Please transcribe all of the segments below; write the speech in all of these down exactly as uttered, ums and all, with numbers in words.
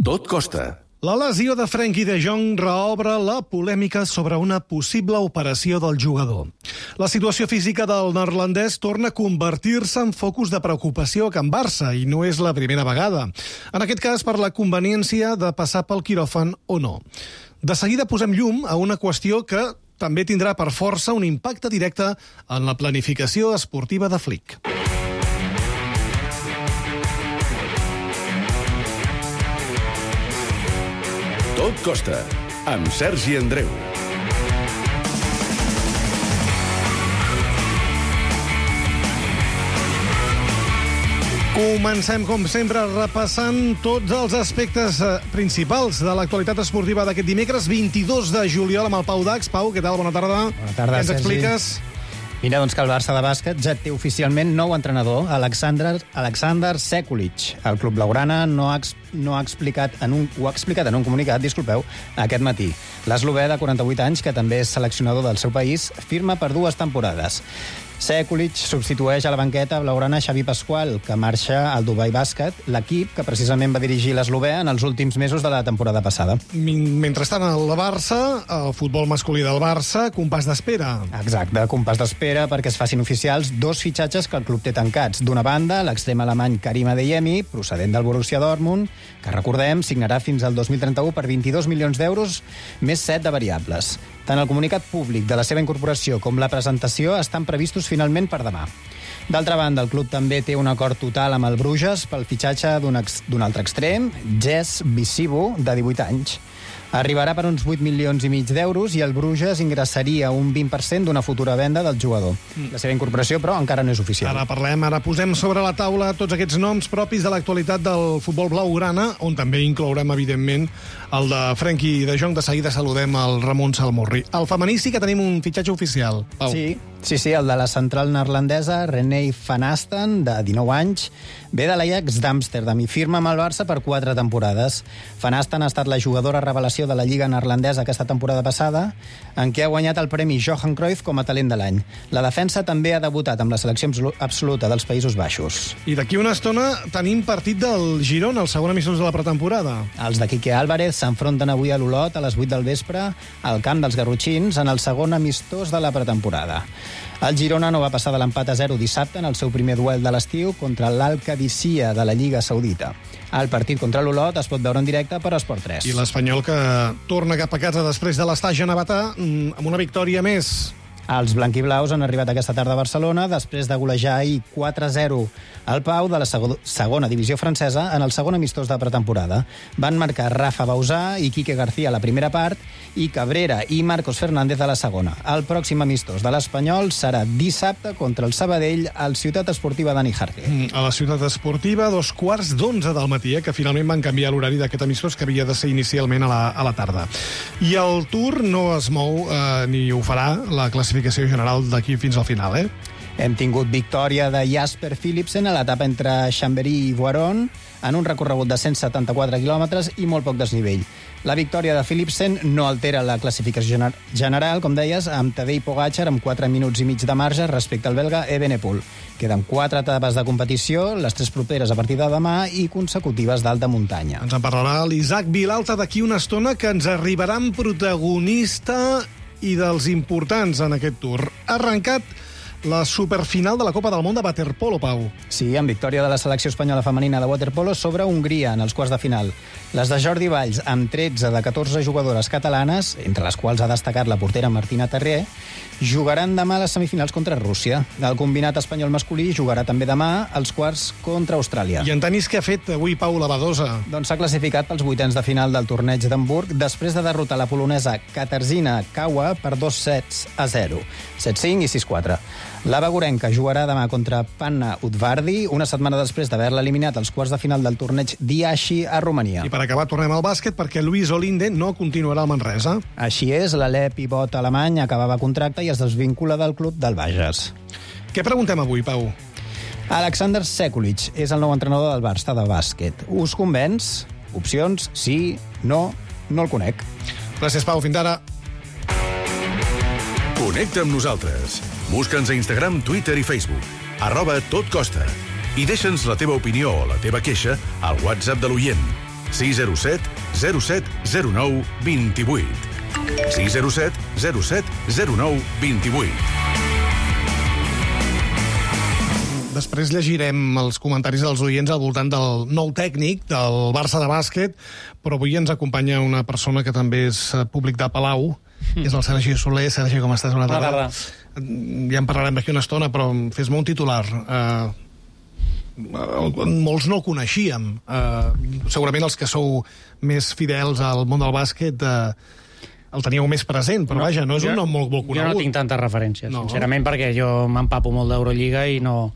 Tot costa. La lesió de Frenkie de Jong reobre la polèmica sobre una possible operació del jugador. La situació física del neerlandès torna a convertir-se en focus de preocupació a Can Barça, i no és la primera vegada. En aquest cas, per la conveniència de passar pel quiròfan o no. De seguida posem llum a una qüestió que també tindrà per força un impacte directe en la planificació esportiva de Flick. Tot costa, amb Sergi Andreu. Comencem, com sempre, repassant tots els aspectes principals de l'actualitat esportiva d'aquest dimecres, vint-i-dos de juliol, amb el Pau Dax. Pau, què tal? Bona tarda. Bona tarda, Què ens Sergi. expliques? Mira, doncs que el Barça de bàsquet ja té oficialment nou entrenador, Alexander, Alexander Sekulic. El club blaugrana no ha, no ha explicat en un, ho ha explicat en un comunicat, disculpeu, aquest matí. L'eslovè de quaranta-vuit anys, que també és seleccionador del seu país, firma per dues temporades. Sekulic substitueix a la banqueta blaugrana Xavi Pasqual, que marxa al Dubai Bàsquet, l'equip que precisament va dirigir l'eslovè en els últims mesos de la temporada passada. Mentrestant, el Barça, el futbol masculí del Barça, compàs d'espera. Exacte, compàs d'espera perquè es facin oficials dos fitxatges que el club té tancats. D'una banda, l'extrem alemany Karim Adeyemi, procedent del Borussia Dortmund, que, recordem, signarà fins al dos mil trenta-u per vint-i-dos milions d'euros, més set de variables. Tant el comunicat públic de la seva incorporació com la presentació estan previstos finalment per demà. D'altra banda, el club també té un acord total amb el Bruges pel fitxatge d'un ex, d'un altre extrem, Jess Visibu, de divuit anys. Arribarà per uns vuit milions i mig d'euros i el Bruges ingressaria un vint per cent d'una futura venda del jugador. La seva incorporació, però, encara no és oficial. Ara parlem, ara posem sobre la taula tots aquests noms propis de l'actualitat del futbol blaugrana, on també inclourem, evidentment, el de Frenkie de Jong. De seguida saludem el Ramon Salmorri. Al femení sí que tenim un fitxatge oficial, Pau. Sí, sí, sí, el de la central neerlandesa, René van Asten, de dinou anys, ve de l'Ajax d'Amsterdam i firma amb el Barça per quatre temporades. Van Asten ha estat la jugadora revelació de la Lliga neerlandesa aquesta temporada passada, en què ha guanyat el premi Johan Cruyff com a talent de l'any. La defensa també ha debutat amb la selecció absoluta dels Països Baixos. I d'aquí una estona tenim partit del Girona, el segon amistós de la pretemporada. Els de Quique Álvarez s'enfronten avui a l'Olot a les vuit del vespre al camp dels Garrotxins en el segon amistós de la pretemporada. El Girona no va passar de l'empat a zero dissabte en el seu primer duel de l'estiu contra l'Al-Qadisiyah de la Lliga Saudita. El partit contra l'Olot es pot veure en directe per Esport tres. I l'Espanyol, que torna cap a casa després de l'estatge a Navatà amb una victòria més. Els blanquiblaus han arribat aquesta tarda a Barcelona després de golejar ahir quatre a zero al Pau de la segona divisió francesa en el segon amistós de pretemporada. Van marcar Rafa Bausà i Quique García a la primera part i Cabrera i Marcos Fernández a la segona. El pròxim amistós de l'Espanyol serà dissabte contra el Sabadell al Ciutat Esportiva Dani Jarque. A la Ciutat Esportiva, dos quarts d'onze del matí, eh, que finalment van canviar l'horari d'aquest amistós, que havia de ser inicialment a la, a la tarda. I el Tour no es mou eh, ni ho farà la classificació general d'aquí fins al final, eh? Hem tingut victòria de Jasper Philipsen a l'etapa entre Chambéry i Voiron en un recorregut de cent setanta-quatre quilòmetres i molt poc desnivell. La victòria de Philipsen no altera la classificació general, com deies, amb Tadej Pogačar amb quatre minuts i mig de marge respecte al belga Evenepoel. Queden quatre etapes de competició, les tres properes a partir de demà i consecutives d'alta muntanya. Ens en parlarà l'Isaac Vilalta d'aquí una estona, que ens arribarà amb protagonista i dels importants en aquest Tour. Ha arrencat la superfinal de la Copa del Món de waterpolo, Pau. Sí, amb victòria de la selecció espanyola femenina de waterpolo sobre Hongria en els quarts de final. Les de Jordi Valls, amb tretze de catorze jugadores catalanes, entre les quals ha destacat la portera Martina Terrier, jugaran demà a les semifinals contra Rússia. El combinat espanyol masculí jugarà també demà als quarts contra Austràlia. I en tenis, què ha fet avui Pau la Badosa? Doncs s'ha classificat pels vuitens de final del torneig d'Hamburg després de derrotar la polonesa Katarzyna Kawa per dos sets a zero, set cinc i sis quatre. La bagurenca jugarà demà contra Panna Udvardi, una setmana després d'haver-la eliminat als quarts de final del torneig d'Iashi a Romania. I per acabar tornem al bàsquet, perquè Luis Olinde no continuarà al Manresa. Així és, l'alè pivot alemany acabava contracte i es desvincula del club del Bages. Què preguntem avui, Pau? Alexander Sekulic és el nou entrenador del Barça de bàsquet. Us convenç? Opcions? Sí? No? No el conec. Gràcies, Pau. Fins ara. Connecta amb nosaltres. Busca'ns a Instagram, Twitter i Facebook. Arroba Tot Costa. I deixa'ns la teva opinió o la teva queixa al WhatsApp de l'oient. sis zero set zero set zero nou dos vuit. sis zero set zero set zero nou dos vuit. Després llegirem els comentaris dels oients al voltant del nou tècnic del Barça de bàsquet, però avui ens acompanya una persona que també és públic de Palau, que és el Sergi Soler. Sergi, com estàs? Bona tarda. Bona tarda. Ja en parlarem d'aquí una estona, però fes-me un titular. Uh, molts no el coneixíem. Uh, segurament els que sou més fidels al món del bàsquet uh, el teníeu més present, però no, vaja, no és jo, un nom molt, molt conegut. Jo no tinc tantes referències, no. sincerament, perquè jo m'empapo molt d'Eurolliga i no...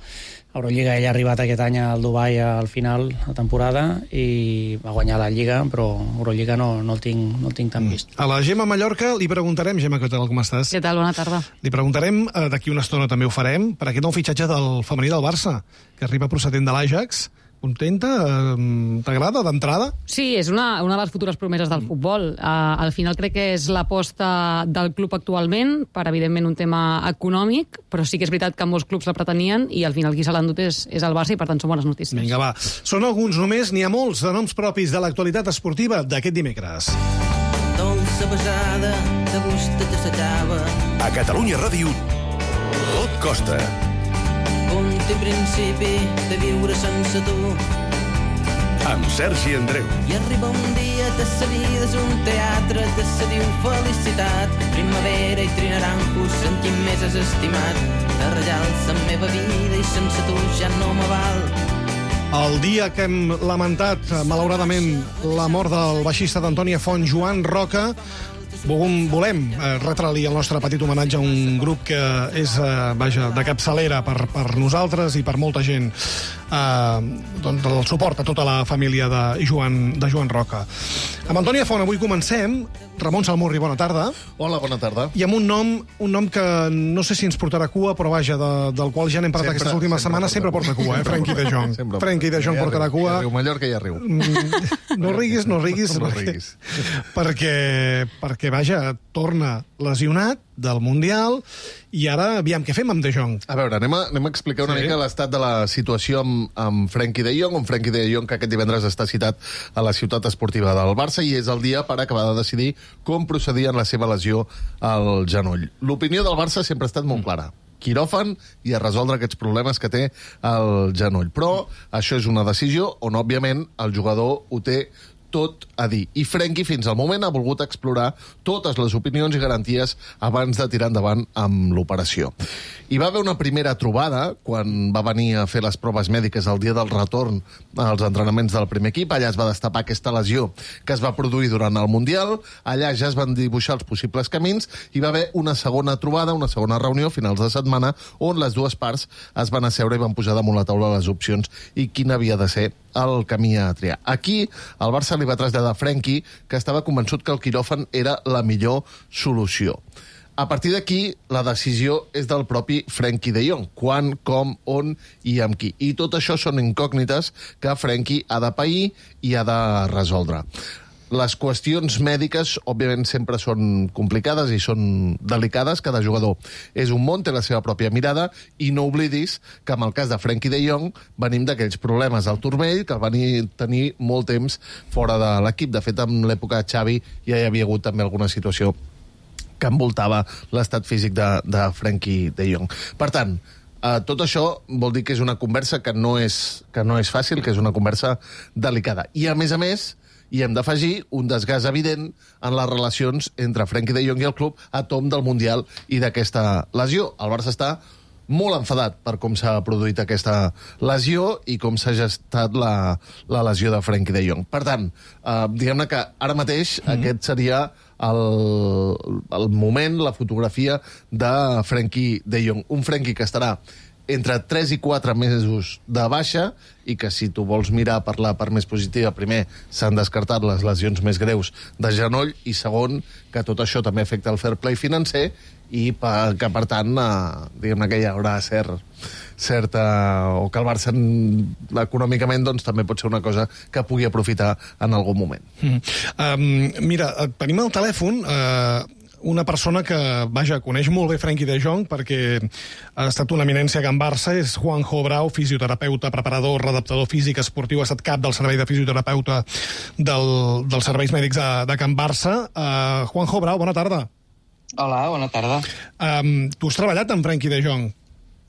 Eurolliga ell ha arribat aquest any al Dubai al final de temporada i va guanyar la Lliga, però Eurolliga no, no, el, tinc, no el tinc tan vist. A la Gemma Mallorca li preguntarem, Gemma, què tal, com estàs? Què tal, bona tarda. Li preguntarem, eh, d'aquí una estona també ho farem, per aquest nou fitxatge del femení del Barça, que arriba procedent de l'Ajax. Contenta? T'agrada d'entrada? Sí, és una, una de les futures promeses del futbol. Uh, al final crec que és l'aposta del club actualment, per evidentment un tema econòmic, però sí que és veritat que molts clubs la pretenien i al final qui se l'ha endut és, és el Barça i per tant són bones notícies. Vinga, va. Són alguns només, n'hi ha molts de noms propis de l'actualitat esportiva d'aquest dimecres. Dolça besada de gust de s'acaba. A Catalunya Ràdio, tot costa. Punt i principi de viure sense tu. Amb Sergi Andreu. I arriba un dia de sa vida és un teatre de sa diu felicitat. Primavera i trinaranjos en qui més has estimat. De rajals la meva vida i sense tu ja no me val. El dia que hem lamentat, malauradament, la mort del baixista d'Antònia Font, Joan Roca, Volem, volem eh, retre-li el nostre petit homenatge a un grup que és eh, vaja, de capçalera per, per nosaltres i per molta gent. Eh, doncs el suport a tota la família de Joan, de Joan Roca. Amb Antònia Font avui comencem. Ramon Salmurri, bona tarda. Hola, bona tarda. I amb un nom, un nom que no sé si ens portarà cua, però vaja, de, del qual ja n'hem parlat sempre, aquestes últimes sempre setmanes, sempre porta cua, eh? Frenkie de Jong. Frenkie de Jong ja portarà riu, cua. Ja riu, Mallorca ja riu. No riguis, no riguis. No perquè, riguis. Perquè, perquè, vaja, torna lesionat del Mundial i ara, aviam, què fem amb De Jong? A veure, anem a, anem a explicar una sí. mica l'estat de la situació amb, amb Frenkie de Jong, un Frenkie de Jong que aquest divendres està citat a la ciutat esportiva del Barça i és el dia per acabar de decidir com procedir en la seva lesió al genoll. L'opinió del Barça sempre ha estat molt clara. Quiròfan i a resoldre aquests problemes que té el genoll. Però això és una decisió on, òbviament, el jugador ho té tot a dir. I Frenkie, fins al moment, ha volgut explorar totes les opinions i garanties abans de tirar endavant amb l'operació. Hi va haver una primera trobada quan va venir a fer les proves mèdiques el dia del retorn als entrenaments del primer equip. Allà es va destapar aquesta lesió que es va produir durant el Mundial. Allà ja es van dibuixar els possibles camins. Hi va haver una segona trobada, una segona reunió a finals de setmana, on les dues parts es van asseure i van posar damunt la taula les opcions i quin havia de ser el camí a triar. Aquí, el Barça li va traslladar a Frenkie que estava convençut que el quiròfan era la millor solució. A partir d'aquí, la decisió és del propi Frenkie de Jong. Quan, com, on i amb qui. I tot això són incògnites que Frenkie ha de pair i ha de resoldre. Les qüestions mèdiques, òbviament, sempre són complicades i són delicades. Cada jugador és un món, té la seva pròpia mirada, i no oblidis que, en el cas de Frenkie de Jong, venim d'aquells problemes al turmell que el van tenir molt temps fora de l'equip. De fet, en l'època de Xavi ja hi havia hagut també alguna situació que envoltava l'estat físic de, de Frenkie de Jong. Per tant, eh, tot això vol dir que és una conversa que no és, que no és fàcil, que és una conversa delicada. I, a més a més, i hem d'afegir un desgast evident en les relacions entre Frenkie de Jong i el club a tom del Mundial i d'aquesta lesió. El Barça està molt enfadat per com s'ha produït aquesta lesió i com s'ha gestat la, la lesió de Frenkie de Jong. Per tant, eh, diguem-ne que ara mateix mm-hmm. aquest seria el, el moment, la fotografia de Frenkie de Jong. Un Frenkie que estarà entre tres i quatre mesos de baixa i que, si tu vols mirar per la part més positiva, primer s'han descartat les lesions més greus de genoll i, segon, que tot això també afecta el fair play financer i per, que, per tant, eh, diguem-ne que hi haurà cert, certa... o que el Barça econòmicament doncs, també pot ser una cosa que pugui aprofitar en algun moment. Mm. Um, mira, tenim al telèfon... Uh... una persona que, vaja, coneix molt bé Frenkie de Jong perquè ha estat una eminència a Can Barça, és Juanjo Brau, fisioterapeuta, preparador, redactador físic esportiu, ha estat cap del servei de fisioterapeuta del, dels serveis mèdics de, de Can Barça. Uh, Juanjo Brau, bona tarda. Hola, bona tarda. Um, tu has treballat amb Frenkie de Jong?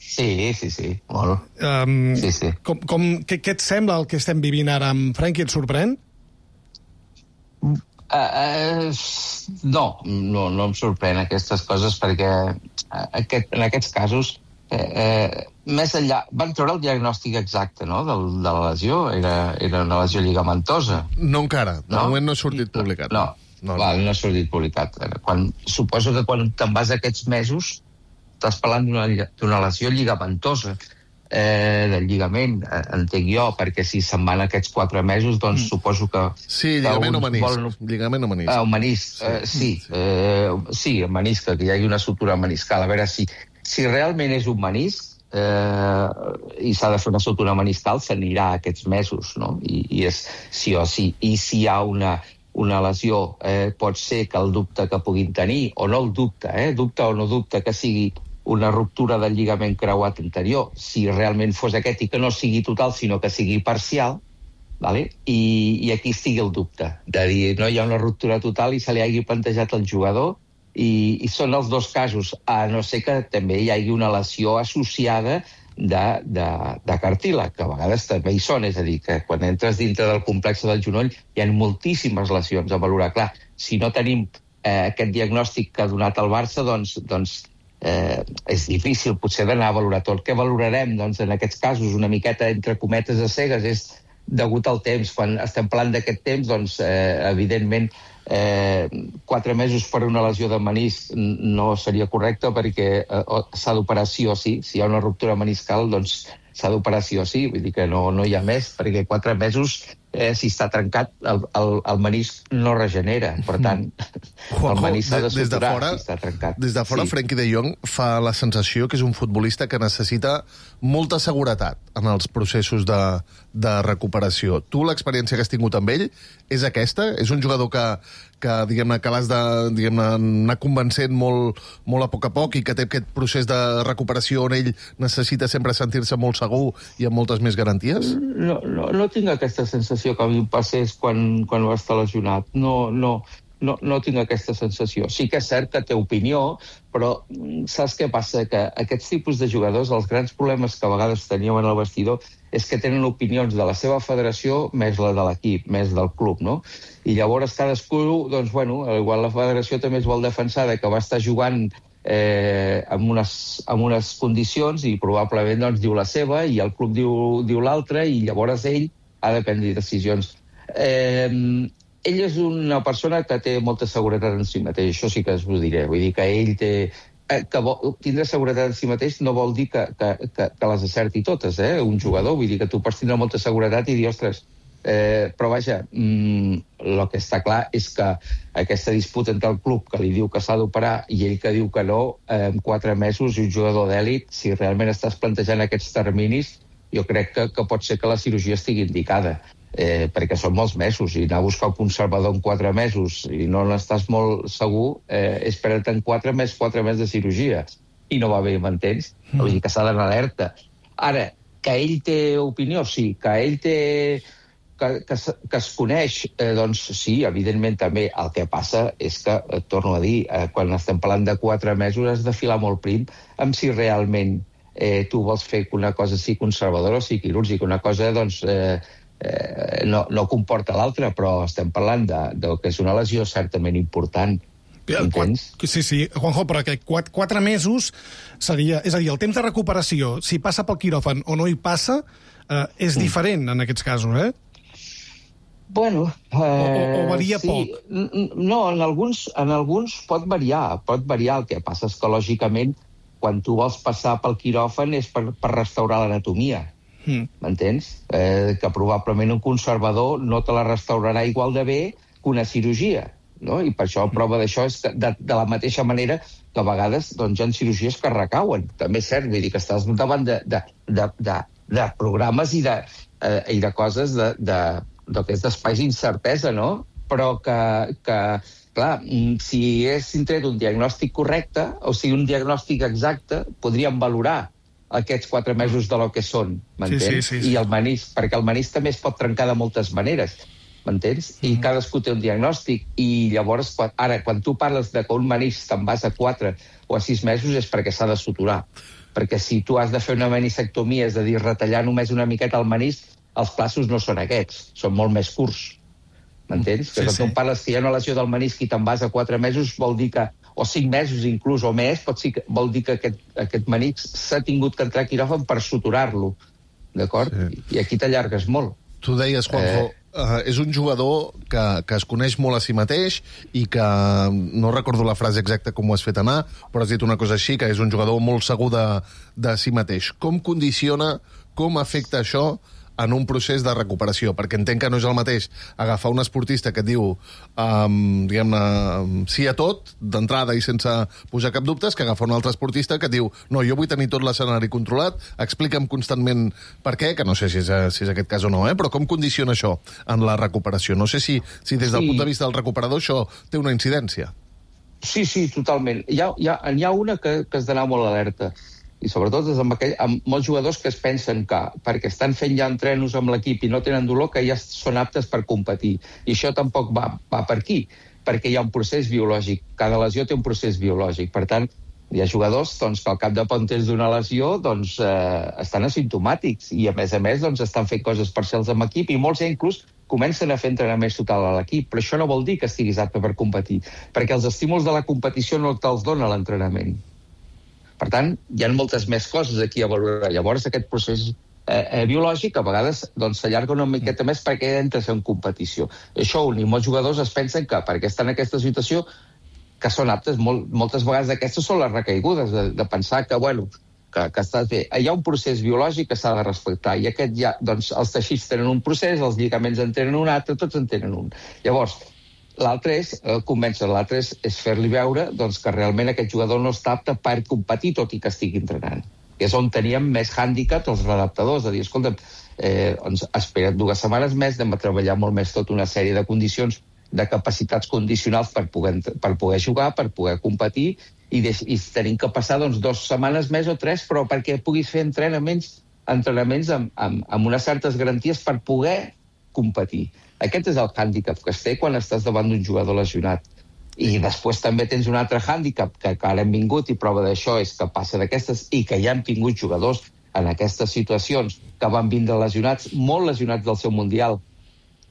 Sí, sí, sí, molt. Um, sí, sí. Com, com, què, què et sembla el que estem vivint ara amb Frenkie? Et sorprèn? Uh, uh, no, no, no em sorprèn aquestes coses perquè aquest, en aquests casos eh, eh, més enllà, van treure el diagnòstic exacte, no?, de, de la lesió, era, era una lesió lligamentosa. No encara, de no? moment no ha sortit publicat. No, no, no, val, no ha sortit publicat. Quan, suposo que quan te'n vas aquests mesos estàs parlant d'una lesió lligamentosa, eh, del lligament, eh, entenc jo, perquè si se'n van aquests quatre mesos, doncs mm. suposo que... Sí, lligament o menisc. Vol... Lligament o menisc. Ah, menisc, sí, eh, sí, sí. Eh, sí, menisc, que hi hagi una sutura meniscal. A veure, si, si realment és un menisc eh, i s'ha de fer una sutura meniscal, s'anirà aquests mesos, no? I, i és sí o sí. I si hi ha una, una lesió, eh, pot ser que el dubte que puguin tenir, o no el dubte, eh, dubte o no dubte, que sigui una ruptura del lligament creuat anterior, si realment fos aquest i que no sigui total, sinó que sigui parcial, vale? I, i aquí estigui el dubte, de dir, no hi ha una ruptura total i se li hagi plantejat al jugador, i, i són els dos casos, a no ser que també hi hagi una lesió associada de, de, de cartílag, que a vegades també hi són, és a dir, que quan entres dintre del complexe del genoll hi ha moltíssimes lesions a valorar. Clar, si no tenim eh, aquest diagnòstic que ha donat el Barça, doncs, doncs Eh, és difícil potser d'anar a valorar tot. Què valorarem? Doncs en aquests casos una miqueta entre cometes a cegues és degut al temps. Quan estem parlant d'aquest temps, doncs eh, evidentment eh, quatre mesos per una lesió de menisc no seria correcte perquè eh, s'ha d'operar sí o sí. Si hi ha una ruptura meniscal, doncs s'ha d'operar sí o sí. Vull dir que no, no hi ha més, perquè quatre mesos eh, si està trencat, el, el, el menisc no regenera. Per tant, Juanjo, el menisc s'ha de suturar de fora, si està trencat. Des de fora, sí. Frenkie de Jong fa la sensació que és un futbolista que necessita molta seguretat en els processos de, de recuperació. Tu, l'experiència que has tingut amb ell, és aquesta? És un jugador que, que diguem-ne, que l'has de, diguem-ne, anar convencent molt, molt a poc a poc i que té aquest procés de recuperació on ell necessita sempre sentir-se molt segur i amb moltes més garanties? No, no, no tinc aquesta sensació que a mi em passés quan, quan va estar lesionat. No, no, no, no tinc aquesta sensació. Sí que és cert que té opinió, però saps què passa? Que aquests tipus de jugadors, els grans problemes que a vegades teníem en el vestidor, és que tenen opinions de la seva federació més la de l'equip, més del club, no? I llavors cadascú, doncs, bueno, igual la federació també es vol defensar de que va estar jugant eh, amb, unes, amb unes condicions i probablement doncs, diu la seva i el club diu, diu l'altra i llavors ell ha de prendre decisions. Eh, ell és una persona que té molta seguretat en si mateix, això sí que us ho diré. Vull dir que ell té... Eh, que vol, tindre seguretat en si mateix no vol dir que, que, que, que les acerti totes, eh? Un jugador, vull dir que tu pots tindre molta seguretat i dir, ostres, eh, però vaja, mm, el que està clar és que aquesta disputa entre el club que li diu que s'ha d'operar i ell que diu que no, eh, en quatre mesos i un jugador d'èlit, si realment estàs plantejant aquests terminis, jo crec que, que pot ser que la cirurgia estigui indicada, eh, perquè són molts mesos, i anar a buscar un conservador en quatre mesos i no n'estàs molt segur, eh, espera't en quatre més quatre mesos de cirurgia, i no va bé, m'entens? Mm. Vull dir que s'ha d'anar alerta. Ara, que ell té opinió, sí, que ell té... Que, que, que es coneix, eh, doncs sí, evidentment també. El que passa és que, eh, torno a dir, eh, quan estem parlant de quatre mesos has de filar molt prim amb si realment Eh, tu vols fer que una cosa sigui conservadora o sigui quirúrgica. Una cosa, doncs, eh, eh, no, no comporta l'altra, però estem parlant de, de que és una lesió certament important. Entens? Sí, sí, Juanjo, però que quatre, quatre mesos seria... És a dir, el temps de recuperació, si passa pel quiròfan o no hi passa, eh, és mm. diferent en aquests casos, eh? Bueno... Eh, o, o varia sí. poc? No, en alguns, en alguns pot variar. Pot variar. El que passa és que, lògicament, quan tu vols passar pel quiròfan és per, per restaurar l'anatomia, mm. m'entens? Eh, que probablement un conservador no te la restaurarà igual de bé que una cirurgia, no? I per això la prova d'això és que de, de la mateixa manera que a vegades doncs, hi ha cirurgies que recauen. També és cert, vull dir que estàs davant de, de, de, de, de programes i de, eh, i de coses de, de, de, de, d'espais d'incertesa, no? Però que... que clar, si haguessin tret un diagnòstic correcte, o sigui, un diagnòstic exacte, podríem valorar aquests quatre mesos de lo que són, m'entens? Sí, sí, sí, sí. I el menisc, perquè el menisc també es pot trencar de moltes maneres, m'entens? I mm. cadascú té un diagnòstic, i llavors, quan, ara, quan tu parles de que un menisc te'n vas a quatre o a sis mesos és perquè s'ha de suturar. Perquè si tu has de fer una meniscectomia, és a dir, retallar només una miqueta el menisc, els plaços no són aquests, són molt més curts. M'entens? Sí, que quan sí. tu parles que hi ha una lesió del menisc i te'n vas a quatre mesos, vol dir que, o cinc mesos inclús, o més, pot ser, vol dir que aquest, aquest menisc s'ha tingut que entrar a quiròfan per suturar-lo, d'acord? Sí. I aquí t'allargues molt. Tu deies, Juanjo, eh... uh, és un jugador que, que es coneix molt a si mateix i que, no recordo la frase exacta com ho has fet anar, però has dit una cosa així, que és un jugador molt segur de, de si mateix. Com condiciona, com afecta això en un procés de recuperació? Perquè entenc que no és el mateix agafar un esportista que et diu um, diguem-ne, sí a tot, d'entrada i sense posar cap dubtes, que agafar un altre esportista que et diu no, jo vull tenir tot l'escenari controlat, explica'm constantment per què, que no sé si és, si és aquest cas o no, eh? Però com condiciona això en la recuperació? No sé si, si des del Sí. punt de vista del recuperador això té una incidència. Sí, sí, totalment. Hi ha, hi ha, hi ha una que, que has d'anar molt alerta, i sobretot és amb, aquell, amb molts jugadors que es pensen que, perquè estan fent ja entrenos amb l'equip i no tenen dolor, que ja són aptes per competir. I això tampoc va, va per aquí, perquè hi ha un procés biològic. Cada lesió té un procés biològic. Per tant, hi ha jugadors doncs, que al cap de poc temps d'una lesió doncs, eh, estan asimptomàtics i, a més a més, doncs, estan fent coses parcials amb l'equip i molts ja inclús comencen a fer entrenaments total a l'equip. Però això no vol dir que estiguis apte per competir, perquè els estímuls de la competició no te'ls dona l'entrenament. Per tant, hi ha moltes més coses aquí a valorar. Llavors, aquest procés eh, eh, biològic a vegades doncs, s'allarga una miqueta més perquè entres en competició. Això un, i molts jugadors es pensen que perquè estan en aquesta situació que són aptes, molt, moltes vegades aquestes són les recaigudes, de, de pensar que, bueno, que, que estàs bé. Hi ha un procés biològic que s'ha de respectar, i aquest ja, doncs, els teixits tenen un procés, els lligaments en tenen un altre, tots en tenen un. Llavors, l'altre és eh, convèncer, l'altre és, és fer-li veure doncs, que realment aquest jugador no està apte per competir tot i que estigui entrenant. Que és on teníem més hàndicap els redactadors, de dir, escolta, eh, doncs, espera't dues setmanes més, anem a treballar molt més tota una sèrie de condicions, de capacitats condicionals per poder, per poder jugar, per poder competir, i, de, i tenim que passar doncs, dues setmanes més o tres, però perquè puguis fer entrenaments, entrenaments amb, amb, amb unes certes garanties per poder competir. Aquest és el hàndicap que es té quan estàs davant d'un jugador lesionat. I després també tens un altre hàndicap que, que ara hem vingut, i prova d'això és que passa d'aquestes, i que ja hem tingut jugadors en aquestes situacions que van vindre lesionats, molt lesionats del seu Mundial,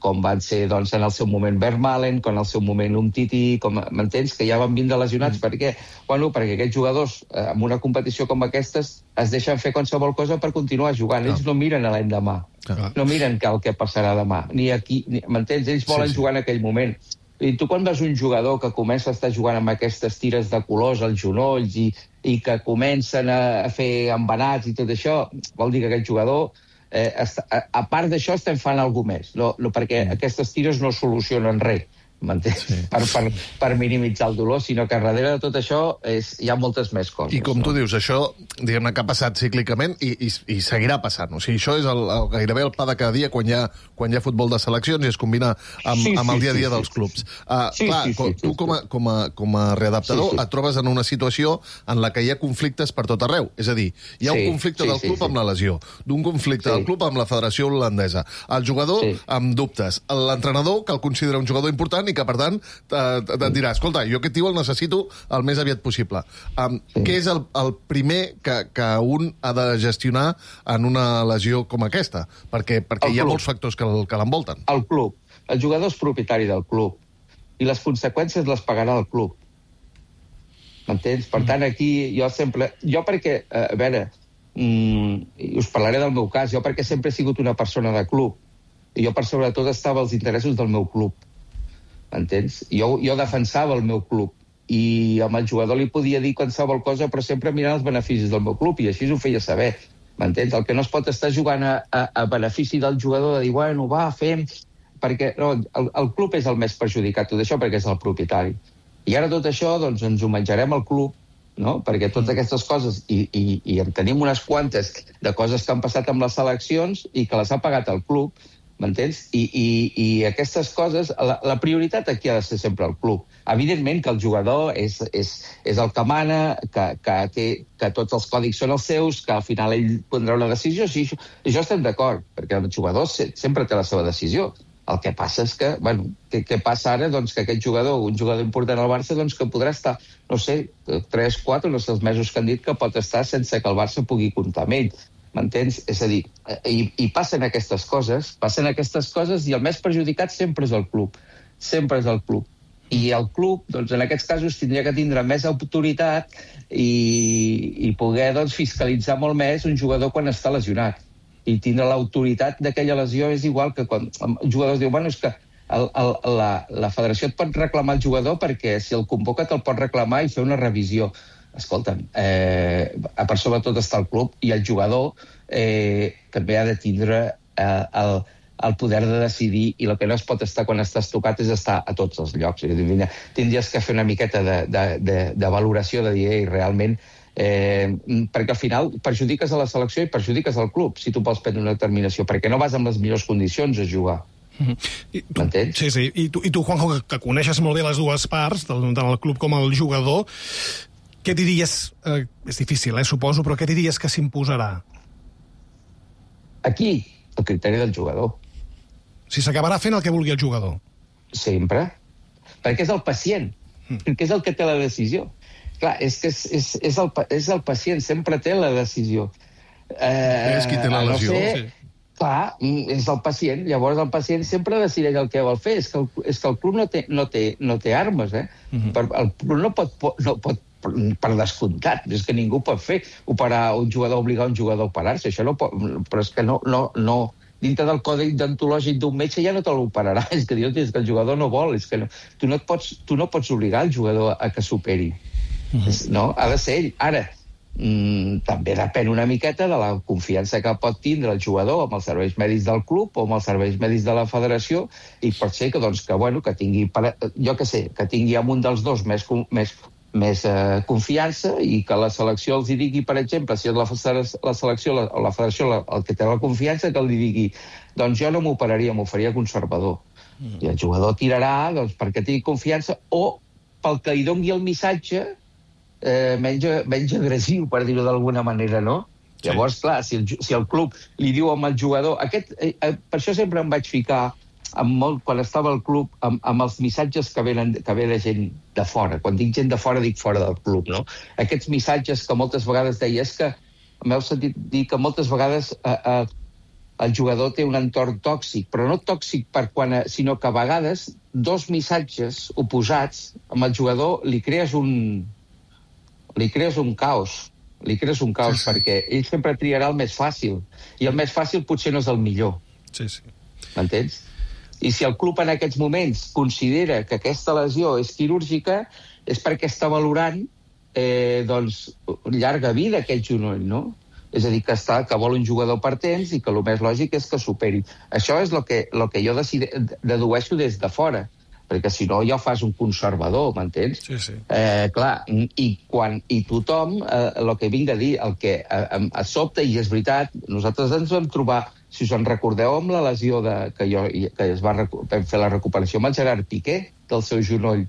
com van ser doncs, en el seu moment Vermaelen, com en el seu moment Umtiti, com m'entens, que ja van vindre lesionats. Mm. Per què? Bueno, perquè aquests jugadors, eh, en una competició com aquestes, es deixen fer qualsevol cosa per continuar jugant. Ells no miren a l'endemà. Ah. No miren que el que passarà demà. Ni aquí, ni, m'entens? Ells volen sí, sí. jugar en aquell moment. I tu quan veus un jugador que comença a estar jugant amb aquestes tires de colors als genolls i, i que comencen a, a fer embenats i tot això, vol dir que aquest jugador, eh, està, a, a part d'això, estem fent alguna més, no, no, perquè mm. aquestes tires no solucionen res, m'entens? Sí. Per, per, per minimitzar el dolor, sinó que darrere de tot això és, hi ha moltes més coses. I com no? tu dius, això diguem-ne que ha passat cíclicament i, i, i seguirà passant. O sigui, això és el, el, gairebé el pa de cada dia quan hi ha, quan hi ha futbol de seleccions i es combina amb, sí, amb el dia a dia sí, dels clubs. Uh, sí, clar, sí, sí, sí, tu com a, com, a, com a readaptador sí, sí. et trobes en una situació en la que hi ha conflictes per tot arreu. És a dir, hi ha sí, un conflicte sí, del club sí, amb la lesió, d'un conflicte sí. del club amb la Federació Holandesa, el jugador sí. amb dubtes, l'entrenador que el considera un jugador important i que, per tant, et dirà, escolta, jo aquest tio el necessito el més aviat possible. Um, sí. Què és el, el primer que, que un ha de gestionar en una lesió com aquesta? Perquè, perquè hi ha molts factors que, que l'envolten. El club. El jugador és propietari del club i les conseqüències les pagarà el club. M'entens? Per tant, aquí jo sempre... Jo perquè, a veure, mm, us parlaré del meu cas, jo perquè sempre he sigut una persona de club i jo per sobretot estava als interessos del meu club. Entens? Jo, jo defensava el meu club i amb el jugador li podia dir qualsevol cosa, però sempre mirant els beneficis del meu club, i així ho feia saber. M'entens? El que no es pot estar jugant a, a, a benefici del jugador, de dir, bueno, va, fem... Perquè no, el, el club és el més perjudicat, tot això, perquè és el propietari. I ara tot això, doncs, ens ho menjarem al club, no? Perquè totes aquestes coses, i, i, i en tenim unes quantes de coses que han passat amb les seleccions i que les ha pagat el club, m'entens? I, i, i aquestes coses, la, la prioritat aquí ha de ser sempre el club. Evidentment que el jugador és, és, és el que mana, que, que, té, que tots els còdics són els seus, que al final ell prendrà una decisió, sí, això, això estem d'acord, perquè el jugador se, sempre té la seva decisió. El que passa és que, bueno, què, què passa ara? Doncs que aquest jugador, un jugador important al Barça, doncs que podrà estar, no sé, tres, quatre, no sé els mesos que han dit que pot estar sense que el Barça pugui comptar amb ell. M'entens? És a dir, i, i passen aquestes coses, passen aquestes coses i el més perjudicat sempre és el club. Sempre és el club. I el club, doncs, en aquests casos, tindria que tindre més autoritat i, i poder, doncs, fiscalitzar molt més un jugador quan està lesionat. I tindre l'autoritat d'aquella lesió és igual que quan el jugador diu, bueno, és que el, el, la, la federació et pot reclamar el jugador perquè si el convoca te'l pot reclamar i fer una revisió. Escolta'm, eh, per sobretot està el club i el jugador eh, també ha de tindre eh, el, el poder de decidir i el que no es pot estar quan estàs tocat és estar a tots els llocs. Tindries que fer una miqueta de, de, de, de valoració de dir, ei, realment, eh, perquè al final perjudiques a la selecció i perjudiques al club si tu vols prendre una determinació, perquè no vas amb les millors condicions a jugar. Mm-hmm. M'entens? Sí, sí. I tu, i tu Juanjo, que, que coneixes molt bé les dues parts, tant el club com el jugador, què diries, eh, és difícil, eh, suposo, però què diries que s'imposarà? Aquí, el criteri del jugador. Si s'acabarà fent el que vulgui el jugador. Sempre. Perquè és el pacient, mm. perquè és el que té la decisió. Clar, és que és, és, és, el, és el pacient, sempre té la decisió. Eh, és qui té la lesió. No sé, sí. Clar, és el pacient. Llavors el pacient sempre decideix el que vol fer. És que el, és que el club no té, no té, no té armes, eh? Mm-hmm. Per, el club no pot... No pot per descomptat, és que ningú pot fer operar un jugador, obligar un jugador a operar-se, això no pot, però és que no, no, no, dintre del codi deontològic d'un metge ja no te l'operarà, és que, és que el jugador no vol, és que no, tu, no et pots, tu no pots obligar el jugador a que s'operi, mm-hmm. no? Ha de ser ell. Ara, mm, també depèn una miqueta de la confiança que pot tindre el jugador amb els serveis mèdics del club o amb els serveis mèdics de la federació i pot ser que, doncs, que, bueno, que tingui, jo què sé, que tingui amb un dels dos més, més més eh, confiança i que la selecció els hi digui, per exemple, si és la, la selecció la, o la federació la, el que té la confiança, que li digui doncs jo no m'operaria, m'ho faria conservador. Mm. I el jugador tirarà doncs, perquè tingui confiança o pel que li doni el missatge eh, menys, menys agressiu, per dir-ho d'alguna manera, no? Sí. Llavors, clar, si el, si el club li diu amb el jugador... Aquest, eh, eh, per això sempre em vaig ficar amb molt, quan estava al club, amb, amb els missatges que venen, que ve de gent de fora. Quan dic gent de fora, dic fora del club, no? Aquests missatges que moltes vegades deia, és que m'heu sentit dir que moltes vegades eh, eh, el jugador té un entorn tòxic, però no tòxic per quan, eh, sinó que a vegades dos missatges oposats amb el jugador li crees un li crees un caos, li crees un caos, sí, sí. Perquè ell sempre triarà el més fàcil, i el més fàcil potser no és el millor. Sí, sí. M'entens? I si el club en aquests moments considera que aquesta lesió és quirúrgica, és perquè està valorant eh, doncs, llarga vida aquest genoll, no? És a dir, que, està, que vol un jugador per temps i que el més lògic és que superi. Això és el que, lo que jo decide, dedueixo des de fora, perquè si no ja fas un conservador, m'entens? Sí, sí. Eh, clar, i, quan, i tothom, eh, el que vinc a dir, el que eh, a sobte, i és veritat, nosaltres ens vam trobar, si us en recordeu, amb la lesió de, que, jo, que es va vam fer la recuperació amb el Gerard Piqué del seu genoll.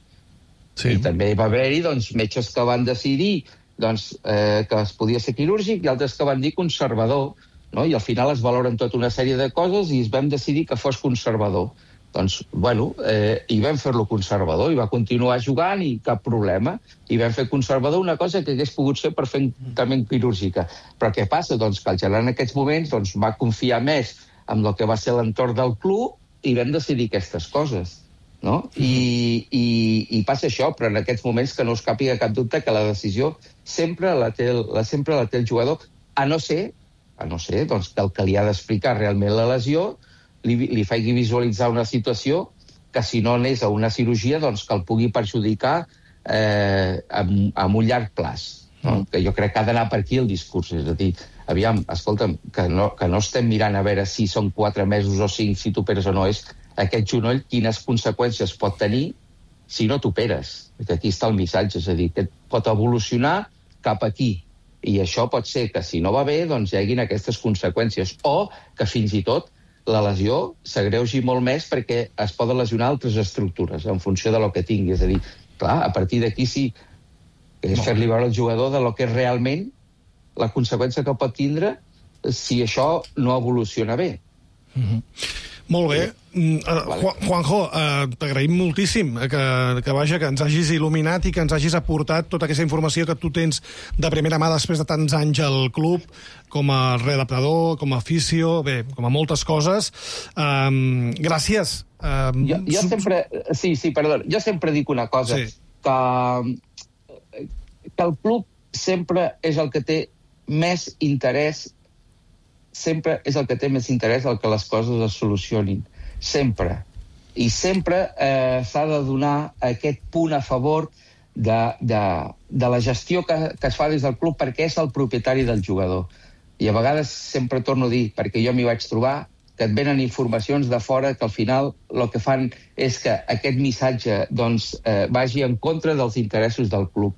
Sí. I també va haver-hi doncs, metges que van decidir doncs, eh, que es podia ser quirúrgic i altres que van dir conservador, no? I al final es valoren tota una sèrie de coses i es vam decidir que fos conservador. Doncs, bueno, eh, i vam fer-lo conservador i va continuar jugant i cap problema. I vam fer conservador una cosa que hagués pogut ser perfectament quirúrgica. Però què passa? Doncs que el Gerard en aquests moments doncs, va confiar més en el que va ser l'entorn del club i vam decidir aquestes coses. No? I, i, i passa això, però en aquests moments que no us càpiga cap dubte que la decisió sempre la té el, la, sempre la té el jugador, a no ser, a no ser doncs, que el que li ha d'explicar realment la lesió li, li faci visualitzar una situació que si no anés a una cirurgia doncs que el pugui perjudicar eh, amb, amb un llarg plaç. No? Mm. Que jo crec que ha d'anar per aquí el discurs. És a dir, aviam, escolta'm, que no, que no estem mirant a veure si són quatre mesos o cinc, si t'operes o no, és aquest genoll quines conseqüències pot tenir si no t'operes. Aquí està el missatge, és a dir, que pot evolucionar cap aquí. I això pot ser que si no va bé, doncs hi haguin aquestes conseqüències. O que fins i tot la lesió s'agreugi molt més perquè es poden lesionar altres estructures en funció de lo que tingui. És a dir, clar, a partir d'aquí sí és fer-li veure al jugador de lo que és realment la conseqüència que pot tindre si això no evoluciona bé. Mm-hmm. Molt bé. Uh, Juan, Juanjo, uh, t'agraïm moltíssim que, que, vaja, que ens hagis il·luminat i que ens hagis aportat tota aquesta informació que tu tens de primera mà després de tants anys al club, com a redactador, com a aficio, bé, com a moltes coses. Um, gràcies. Um, jo, jo sempre... Sí, sí, perdó. Jo sempre dic una cosa, sí. que, que el club sempre és el que té més interès sempre és el que té més interès el que les coses es solucionin. Sempre. I sempre eh, s'ha de donar aquest punt a favor de, de, de la gestió que, que es fa des del club perquè és el propietari del jugador. I a vegades sempre torno a dir, perquè jo m'hi vaig trobar, que et venen informacions de fora que al final el que fan és que aquest missatge doncs, eh, vagi en contra dels interessos del club.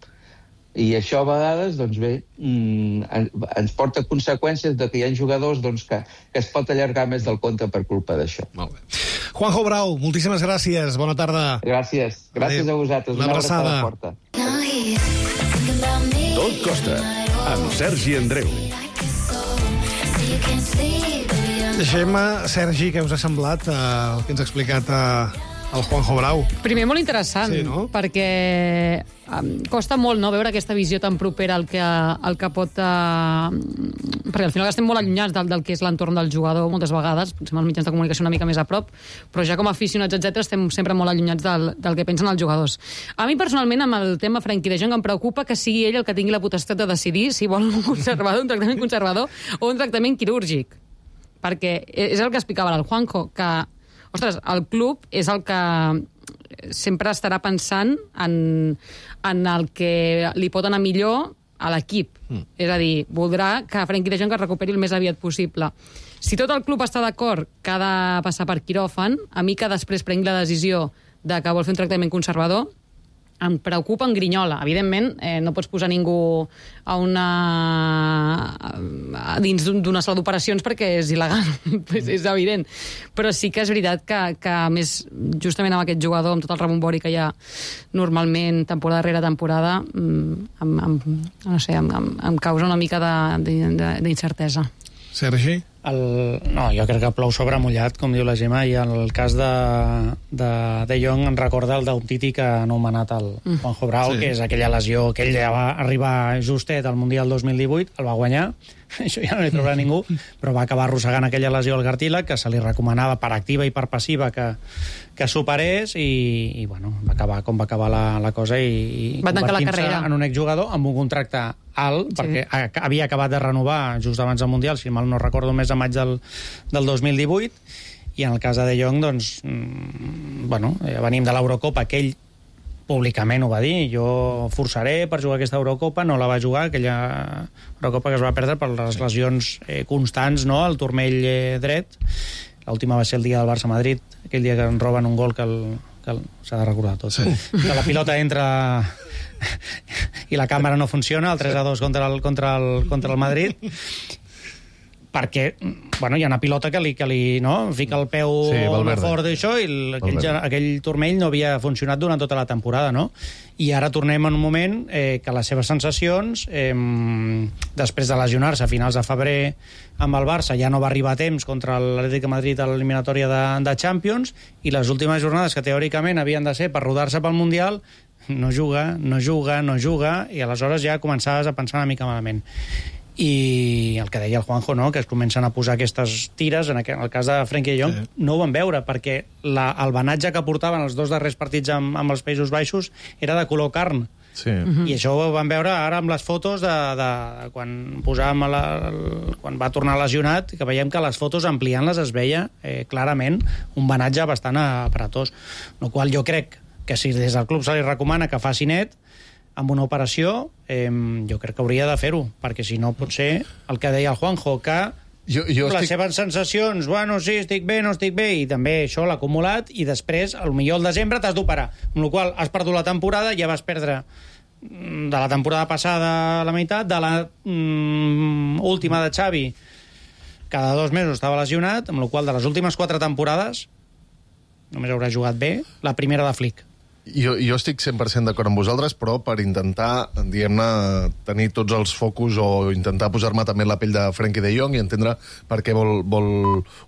I això a vegades, doncs bé, ens porta conseqüències de que hi ha jugadors doncs, que, que es pot allargar més del compte per culpa d'això. Molt bé. Juanjo Brau, moltíssimes gràcies. Bona tarda. Gràcies. Gràcies Adéu. A vosaltres. Una, Una abraçada. forta. Tot costa, amb Sergi Andreu. Deixem, Sergi, què us ha semblat eh, el que ens ha explicat eh, el Juanjo Brau? Primer, molt interessant, sí, no? perquè um, costa molt no, veure aquesta visió tan propera al que, al que pot... Uh, perquè al final estem molt allunyats del, del que és l'entorn del jugador moltes vegades, potser amb els mitjans de comunicació una mica més a prop, però ja com a aficionats, etcètera, estem sempre molt allunyats del, del que pensen els jugadors. A mi, personalment, amb el tema Frenkie de Jong, em preocupa que sigui ell el que tingui la potestat de decidir si vol un conservador, un tractament conservador o un tractament quirúrgic. Perquè és el que explicava el Juanjo, que ostres, el club és el que sempre estarà pensant en, en el que li pot anar millor a l'equip. Mm. És a dir, voldrà que Frenkie de Jong es recuperi el més aviat possible. Si tot el club està d'acord que ha de passar per quiròfan, a mi que després prengui la decisió de que vol fer un tractament conservador, em preocupa en grinyola. Evidentment, eh, no pots posar ningú a una... A dins d'una sala d'operacions perquè és il·legal, pues és evident. Però sí que és veritat que, que a més, justament amb aquest jugador, amb tot el rebombori que hi ha normalment, temporada rere temporada, em, em, no sé, em, em, em causa una mica d'incertesa. Sergi? El, no, jo crec que plou sobre mullat, com diu la Gemma, i el cas de de, de Jong em recorda el d'Umtiti que ha anomenat el mm. Juanjo Brau, sí. que és aquella lesió que ell ja va arribar justet al Mundial dos mil divuit, el va guanyar, això ja no li trobarà ningú, però va acabar arrossegant aquella lesió al cartílag que se li recomanava per activa i per passiva que, que superés i, i bueno, va acabar com va acabar la, la cosa i, i va tancar la carrera en un exjugador amb un contracte alt, sí. perquè havia acabat de renovar just abans del Mundial, si mal no recordo, més a maig del, del dos mil divuit, i en el cas de De Jong, doncs, mmm, bueno, venim de l'Eurocopa, que ell públicament ho va dir, jo forçaré per jugar aquesta Eurocopa, no la va jugar, aquella Eurocopa que es va perdre per les lesions eh, constants, no?, al turmell eh, dret. L'última va ser el dia del Barça-Madrid, aquell dia que en roben un gol que el, que el, s'ha de recordar tot, sí. que la pilota entra i la càmera no funciona, el tres a dos contra el, contra el, contra el Madrid, perquè bueno, hi ha una pilota que li, que li no? fica el peu sí, fort d'això i el, aquell, aquell turmell no havia funcionat durant tota la temporada, no? I ara tornem en un moment eh, que les seves sensacions, eh, després de lesionar-se a finals de febrer amb el Barça, ja no va arribar a temps contra l'Atlètic de Madrid a l'eliminatòria de, de Champions, i les últimes jornades que teòricament havien de ser per rodar-se pel Mundial, no juga, no juga, no juga, i aleshores ja començaves a pensar una mica malament. I el que deia el Juanjo, no?, que es comencen a posar aquestes tires, en el cas de Frenkie de Jong, sí. no ho van veure, perquè la, el banatge que portaven els dos darrers partits amb, amb els Països Baixos era de color carn. Sí. Uh-huh. I això ho vam veure ara amb les fotos de, de, de quan posàvem la, el, quan va tornar lesionat, que veiem que les fotos ampliant-les es veia eh, clarament un banatge bastant aparatós. No qual jo crec que si des del club se li recomana que faci net, amb una operació, eh, jo crec que hauria de fer-ho, perquè si no pot ser el que deia el Juanjo, que jo, jo les estic... seves sensacions, bueno, sí, estic bé, no estic bé, i també això l'ha acumulat, i després, potser al desembre t'has d'operar, amb la qual has perdut la temporada, ja vas perdre de la temporada passada la meitat, de la mm, última de Xavi, cada dos mesos estava lesionat, amb la qual de les últimes quatre temporades només haurà jugat bé la primera de Flick. Jo, jo estic cent per cent d'acord amb vosaltres, però per intentar, diguem-ne, tenir tots els focus o intentar posar-me també en la pell de Frenkie de Jong i entendre per què vol, vol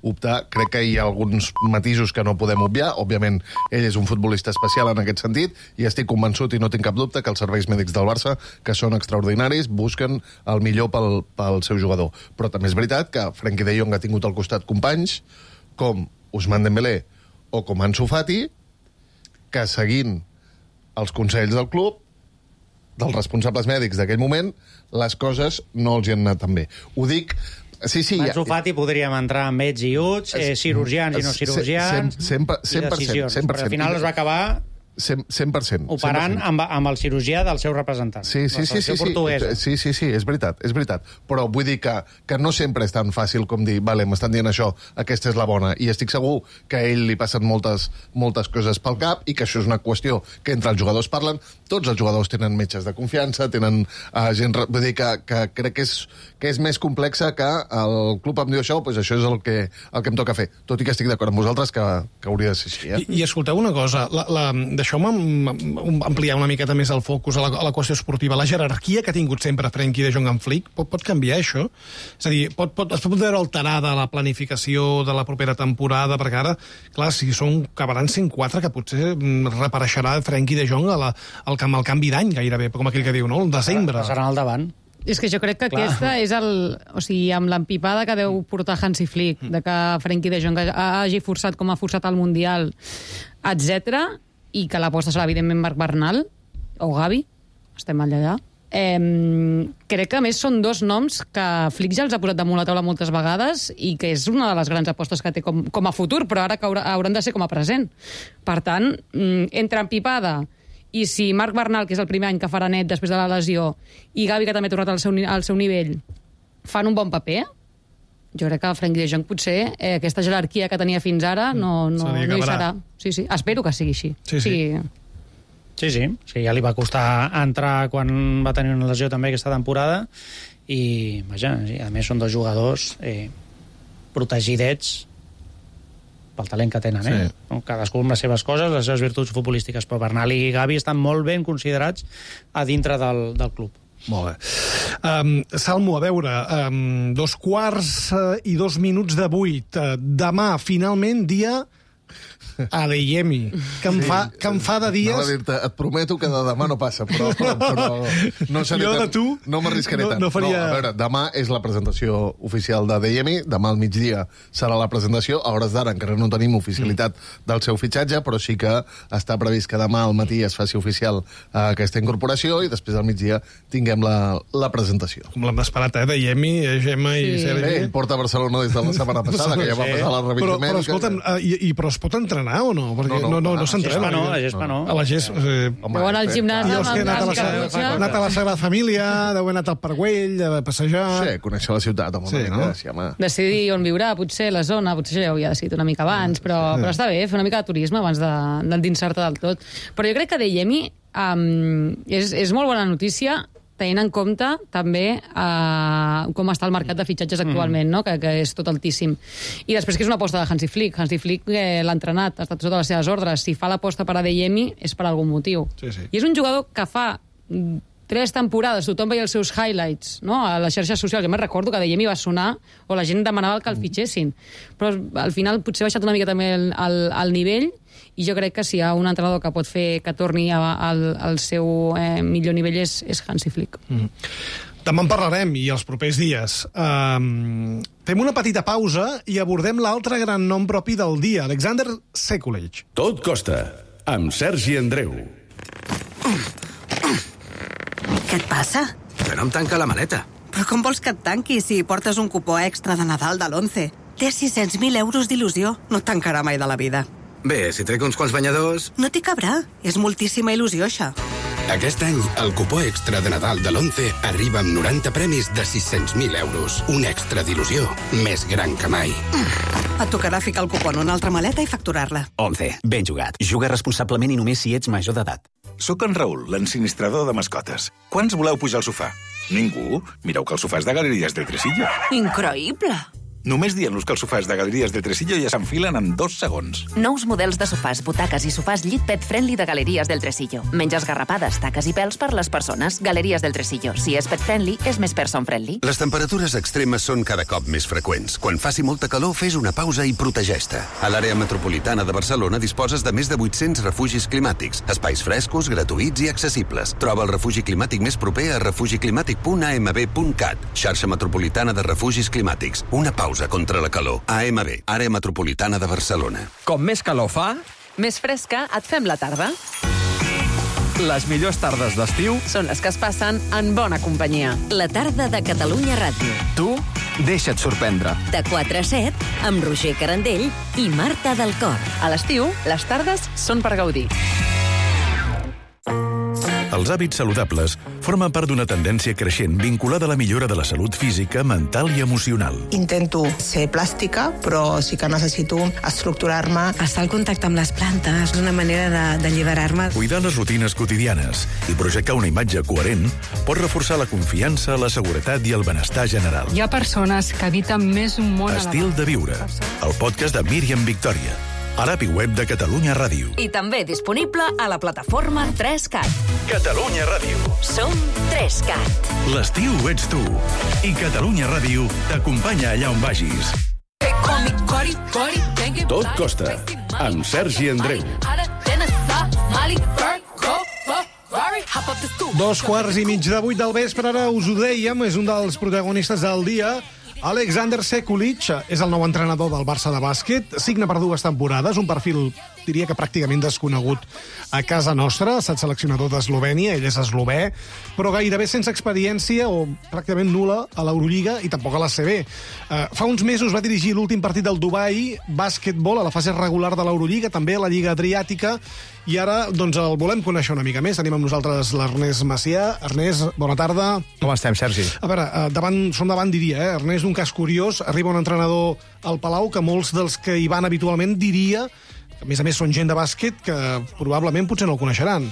optar, crec que hi ha alguns matisos que no podem obviar. Òbviament, ell és un futbolista especial en aquest sentit i estic convençut i no tinc cap dubte que els serveis mèdics del Barça, que són extraordinaris, busquen el millor pel, pel seu jugador. Però també és veritat que Frenkie de Jong ha tingut al costat companys com Ousmane Dembélé o com Ansu Fati, que seguint els consells del club, dels responsables mèdics d'aquell moment, les coses no els hi han anat tan bé. Ho dic... Sí, sí, Ansu Fati podríem entrar amb ets i uts, eh, cirurgians i no cirurgians, cent per cent, i decisions. cent per cent. Però al final es va acabar cent per cent. operant amb, amb el cirurgià del seu representant. Sí, sí, sí, sí, sí, sí, sí, sí, és veritat, és veritat. Però vull dir que, que no sempre és tan fàcil com dir, vale, m'estan dient això, aquesta és la bona, i estic segur que a ell li passen moltes, moltes coses pel cap i que això és una qüestió que entre els jugadors parlen. Tots els jugadors tenen metges de confiança, tenen uh, gent... Vull dir que, que crec que és, que és més complexa que el club em diu això, doncs això és el que, el que em toca fer. Tot i que estic d'acord amb vosaltres que, que hauria de ser així. Eh? I, I escolteu una cosa, la, la, deixeu-me ampliar una miqueta més el focus a la, a la qüestió esportiva. La jerarquia que ha tingut sempre Frenkie de Jong amb Flick, pot, pot canviar això? És a dir, pot, pot, es pot veure alterada la planificació de la propera temporada, perquè ara, clar, si són acabaran cent quatre, que potser reapareixerà Frenkie de Jong a la, al, al canvi d'any gairebé, com aquell que diu, no? El desembre. Passaran al davant. És que jo crec que Clar. aquesta és el... O sigui, amb l'empipada que deu portar Hansi Flick, de que Frenkie de Jong hagi forçat com ha forçat el Mundial, etcètera, i que l'aposta serà, evidentment, Marc Bernal o Gavi, estem allà. Eh, crec que, a més, són dos noms que Flick ja els ha posat damunt la taula moltes vegades i que és una de les grans apostes que té com, com a futur, però ara que haurà, hauran de ser com a present. Per tant, entre empipada i si Marc Bernal, que és el primer any que farà net després de la lesió, i Gavi, que també ha tornat al seu, al seu nivell, fan un bon paper, jo crec que Frenkie de Jong potser eh, aquesta jerarquia que tenia fins ara no, no, no hi serà. Sí, sí. Espero que sigui així. Sí, sí. sí. Sí, sí, sí, ja li va costar entrar quan va tenir una lesió també aquesta temporada i, vaja, sí, a més són dos jugadors eh, protegidets pel talent que tenen, eh? Sí. No? Cadascú amb les seves coses, les seves virtuts futbolístiques, però Bernal i Gavi estan molt ben considerats a dintre del, del club. Molt bé. Um, Salmo, a veure, um, dos quarts uh, i dos minuts de vuit. Uh, demà, finalment, dia... Adeyemi, que em, sí, fa, que em fa de dies... Et prometo que de demà no passa, però, però, però no, seré jo de tan, tu no m'arriscaré no, tant. No, faria... no, a veure, demà és la presentació oficial d'Adeyemi, demà al migdia serà la presentació, a hores d'ara encara no tenim oficialitat mm. del seu fitxatge, però sí que està previst que demà al matí es faci oficial uh, aquesta incorporació i després al migdia tinguem la, la presentació. Com l'hem esperat, eh? Adeyemi, Gemma i sí. Sergi. Bé, ell porta a Barcelona des de la setmana passada, que ja va passar la revisió però, però, escolta'm, uh, i, i, però es pot entrenar o no? Perquè no, no, no, no, no s'entrena. No, a la Gespa no. A la Gespa... Eh, Home, al gimnàs, jo és que he anat a la, Sagrada, anat a la Sagrada Família, deu haver anat al Parc Güell, a passejar... Sí, conèixer la ciutat, home, sí, no? Sí, home. Decidir on viurà, potser, la zona, potser ja ho havia decidit una mica abans, però, sí. però està bé, fer una mica de turisme abans d'endinsar-te del tot. Però jo crec que Adeyemi um, és, és molt bona notícia, tenint en compte també eh, com està el mercat de fitxatges actualment, no? que, que és tot altíssim. I després que és una aposta de Hansi Flick. Hansi Flick eh, l'ha entrenat, ha estat sota les seves ordres. Si fa l'aposta per Adeyemi és per algun motiu. Sí, sí. I és un jugador que fa tres temporades, tothom veia els seus highlights, no? A les xarxes socials. Jo me'n recordo que Adeyemi va sonar o la gent demanava que el fitxessin. Però al final potser ha baixat una mica també el, el, el nivell i jo crec que si hi ha un entrenador que pot fer que torni al, al seu eh, millor nivell és, és Hansi Flick. Mm. Demà en parlarem, i els propers dies. Um, fem una petita pausa i abordem l'altre gran nom propi del dia, Alexander Sekulic. Tot costa, amb Sergi Andreu. Què et passa? Que no em tanca la maleta. Però com vols que et tanqui si portes un cupó extra de Nadal de l'Once? Té sis-cents mil euros d'il·lusió. No et tancarà mai de la vida. Bé, si trec uns quants banyadors... No t'hi cabrà. És moltíssima il·lusió, això. Aquest any, el cupó extra de Nadal de l'Once arriba amb noranta premis de sis-cents mil euros. Un extra d'il·lusió més gran que mai. Mm. Et tocarà ficar el cupó en una altra maleta i facturar-la. Once. Ben jugat. Juga responsablement i només si ets major d'edat. Soc en Raül, l'ensinistrador de mascotes. Quants voleu pujar al sofà? Ningú? Mireu que el sofà és de Galeries del Tresillo. Increïble! Només dient-los que els sofàs de Galeries del Tresillo ja s'enfilen en dos segons. Nous models de sofàs, butaques i sofàs llit pet friendly de Galeries del Tresillo. Menys esgarrapades, taques i pèls per les persones. Galeries del Tresillo. Si és pet friendly, és més person friendly. Les temperatures extremes són cada cop més freqüents. Quan faci molta calor, fes una pausa i protegeix-te. A l'àrea metropolitana de Barcelona disposes de més de vuit-cents refugis climàtics, espais frescos, gratuïts i accessibles. Troba el refugi climàtic més proper a refugi climàtic punt a m b punt cat. Xarxa metropolitana de refugis climàtics. Una pausa contra la calor. A M B, àrea metropolitana de Barcelona. Com més calor fa, Més fresca et fem la tarda. les millors tardes d'estiu Són les que es passen en bona companyia. La tarda de Catalunya Ràdio. tu deixa't sorprendre. De quatre a set, amb Roger Carandell i Marta del Cor. A l'estiu, les tardes són per gaudir. Els hàbits saludables formen part d'una tendència creixent vinculada a la millora de la salut física, mental i emocional. Intento ser plàstica, però sí que necessito estructurar-me. Estar al contacte amb les plantes és una manera d'alliberar-me. Cuidar les rutines quotidianes i projectar una imatge coherent pot reforçar la confiança, la seguretat i el benestar general. Hi ha persones que habiten més un món Estil de viure, el podcast de Míriam Victòria, a l'app i web de Catalunya Ràdio. I també disponible a la plataforma tres cat. Catalunya Ràdio. Som tres cat. L'estiu ets tu. I Catalunya Ràdio t'acompanya allà on vagis. Tot costa, amb Sergi Andreu. Dos quarts i mig de vuit del vespre, ara us ho dèiem, és un dels protagonistes del dia. Alexander Sekulic és el nou entrenador del Barça de bàsquet, signa per dues temporades, un perfil, diria que pràcticament desconegut a casa nostra, ha estat seleccionador d'Eslovènia, ell és eslovè, però gairebé sense experiència o pràcticament nul·la a l'Eurolliga i tampoc a la C B. Uh, fa uns mesos va dirigir l'últim partit del Dubai, bàsquetbol, a la fase regular de l'Eurolliga, també a la Lliga Adriàtica, i ara doncs, el volem conèixer una mica més. Tenim amb nosaltres l'Ernest Macià. Ernest, bona tarda. Com estem, Sergi? A veure, davant, som davant, diria, eh? Ernest, un cas curiós, arriba un entrenador al Palau que molts dels que hi van habitualment diria que, a més a més, són gent de bàsquet que probablement potser no el coneixeran.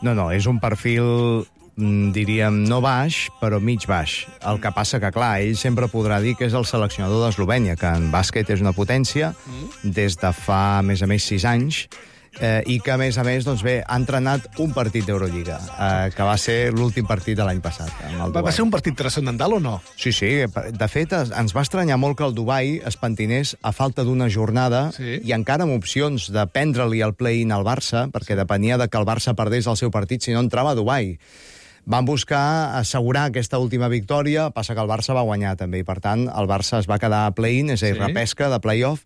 No, no, és un perfil, diríem, no baix, però mig baix. El que passa que, clar, ell sempre podrà dir que és el seleccionador d'Eslovènia, que en bàsquet és una potència des de fa, a més a més, sis anys, eh, i que, a més a més, doncs bé, ha entrenat un partit d'Eurolliga, eh, que va ser l'últim partit de l'any passat. Amb el va, va ser un partit transcendental o no? Sí, sí. De fet, ens va estranyar molt que el Dubai es pentinés a falta d'una jornada sí. i encara amb opcions de prendre-li el play-in al Barça, perquè depenia de que el Barça perdés el seu partit, si no entrava a Dubai. Van buscar assegurar aquesta última victòria, passa que el Barça va guanyar també, i per tant el Barça es va quedar a play-in, és a dir, sí. repesca de play-off,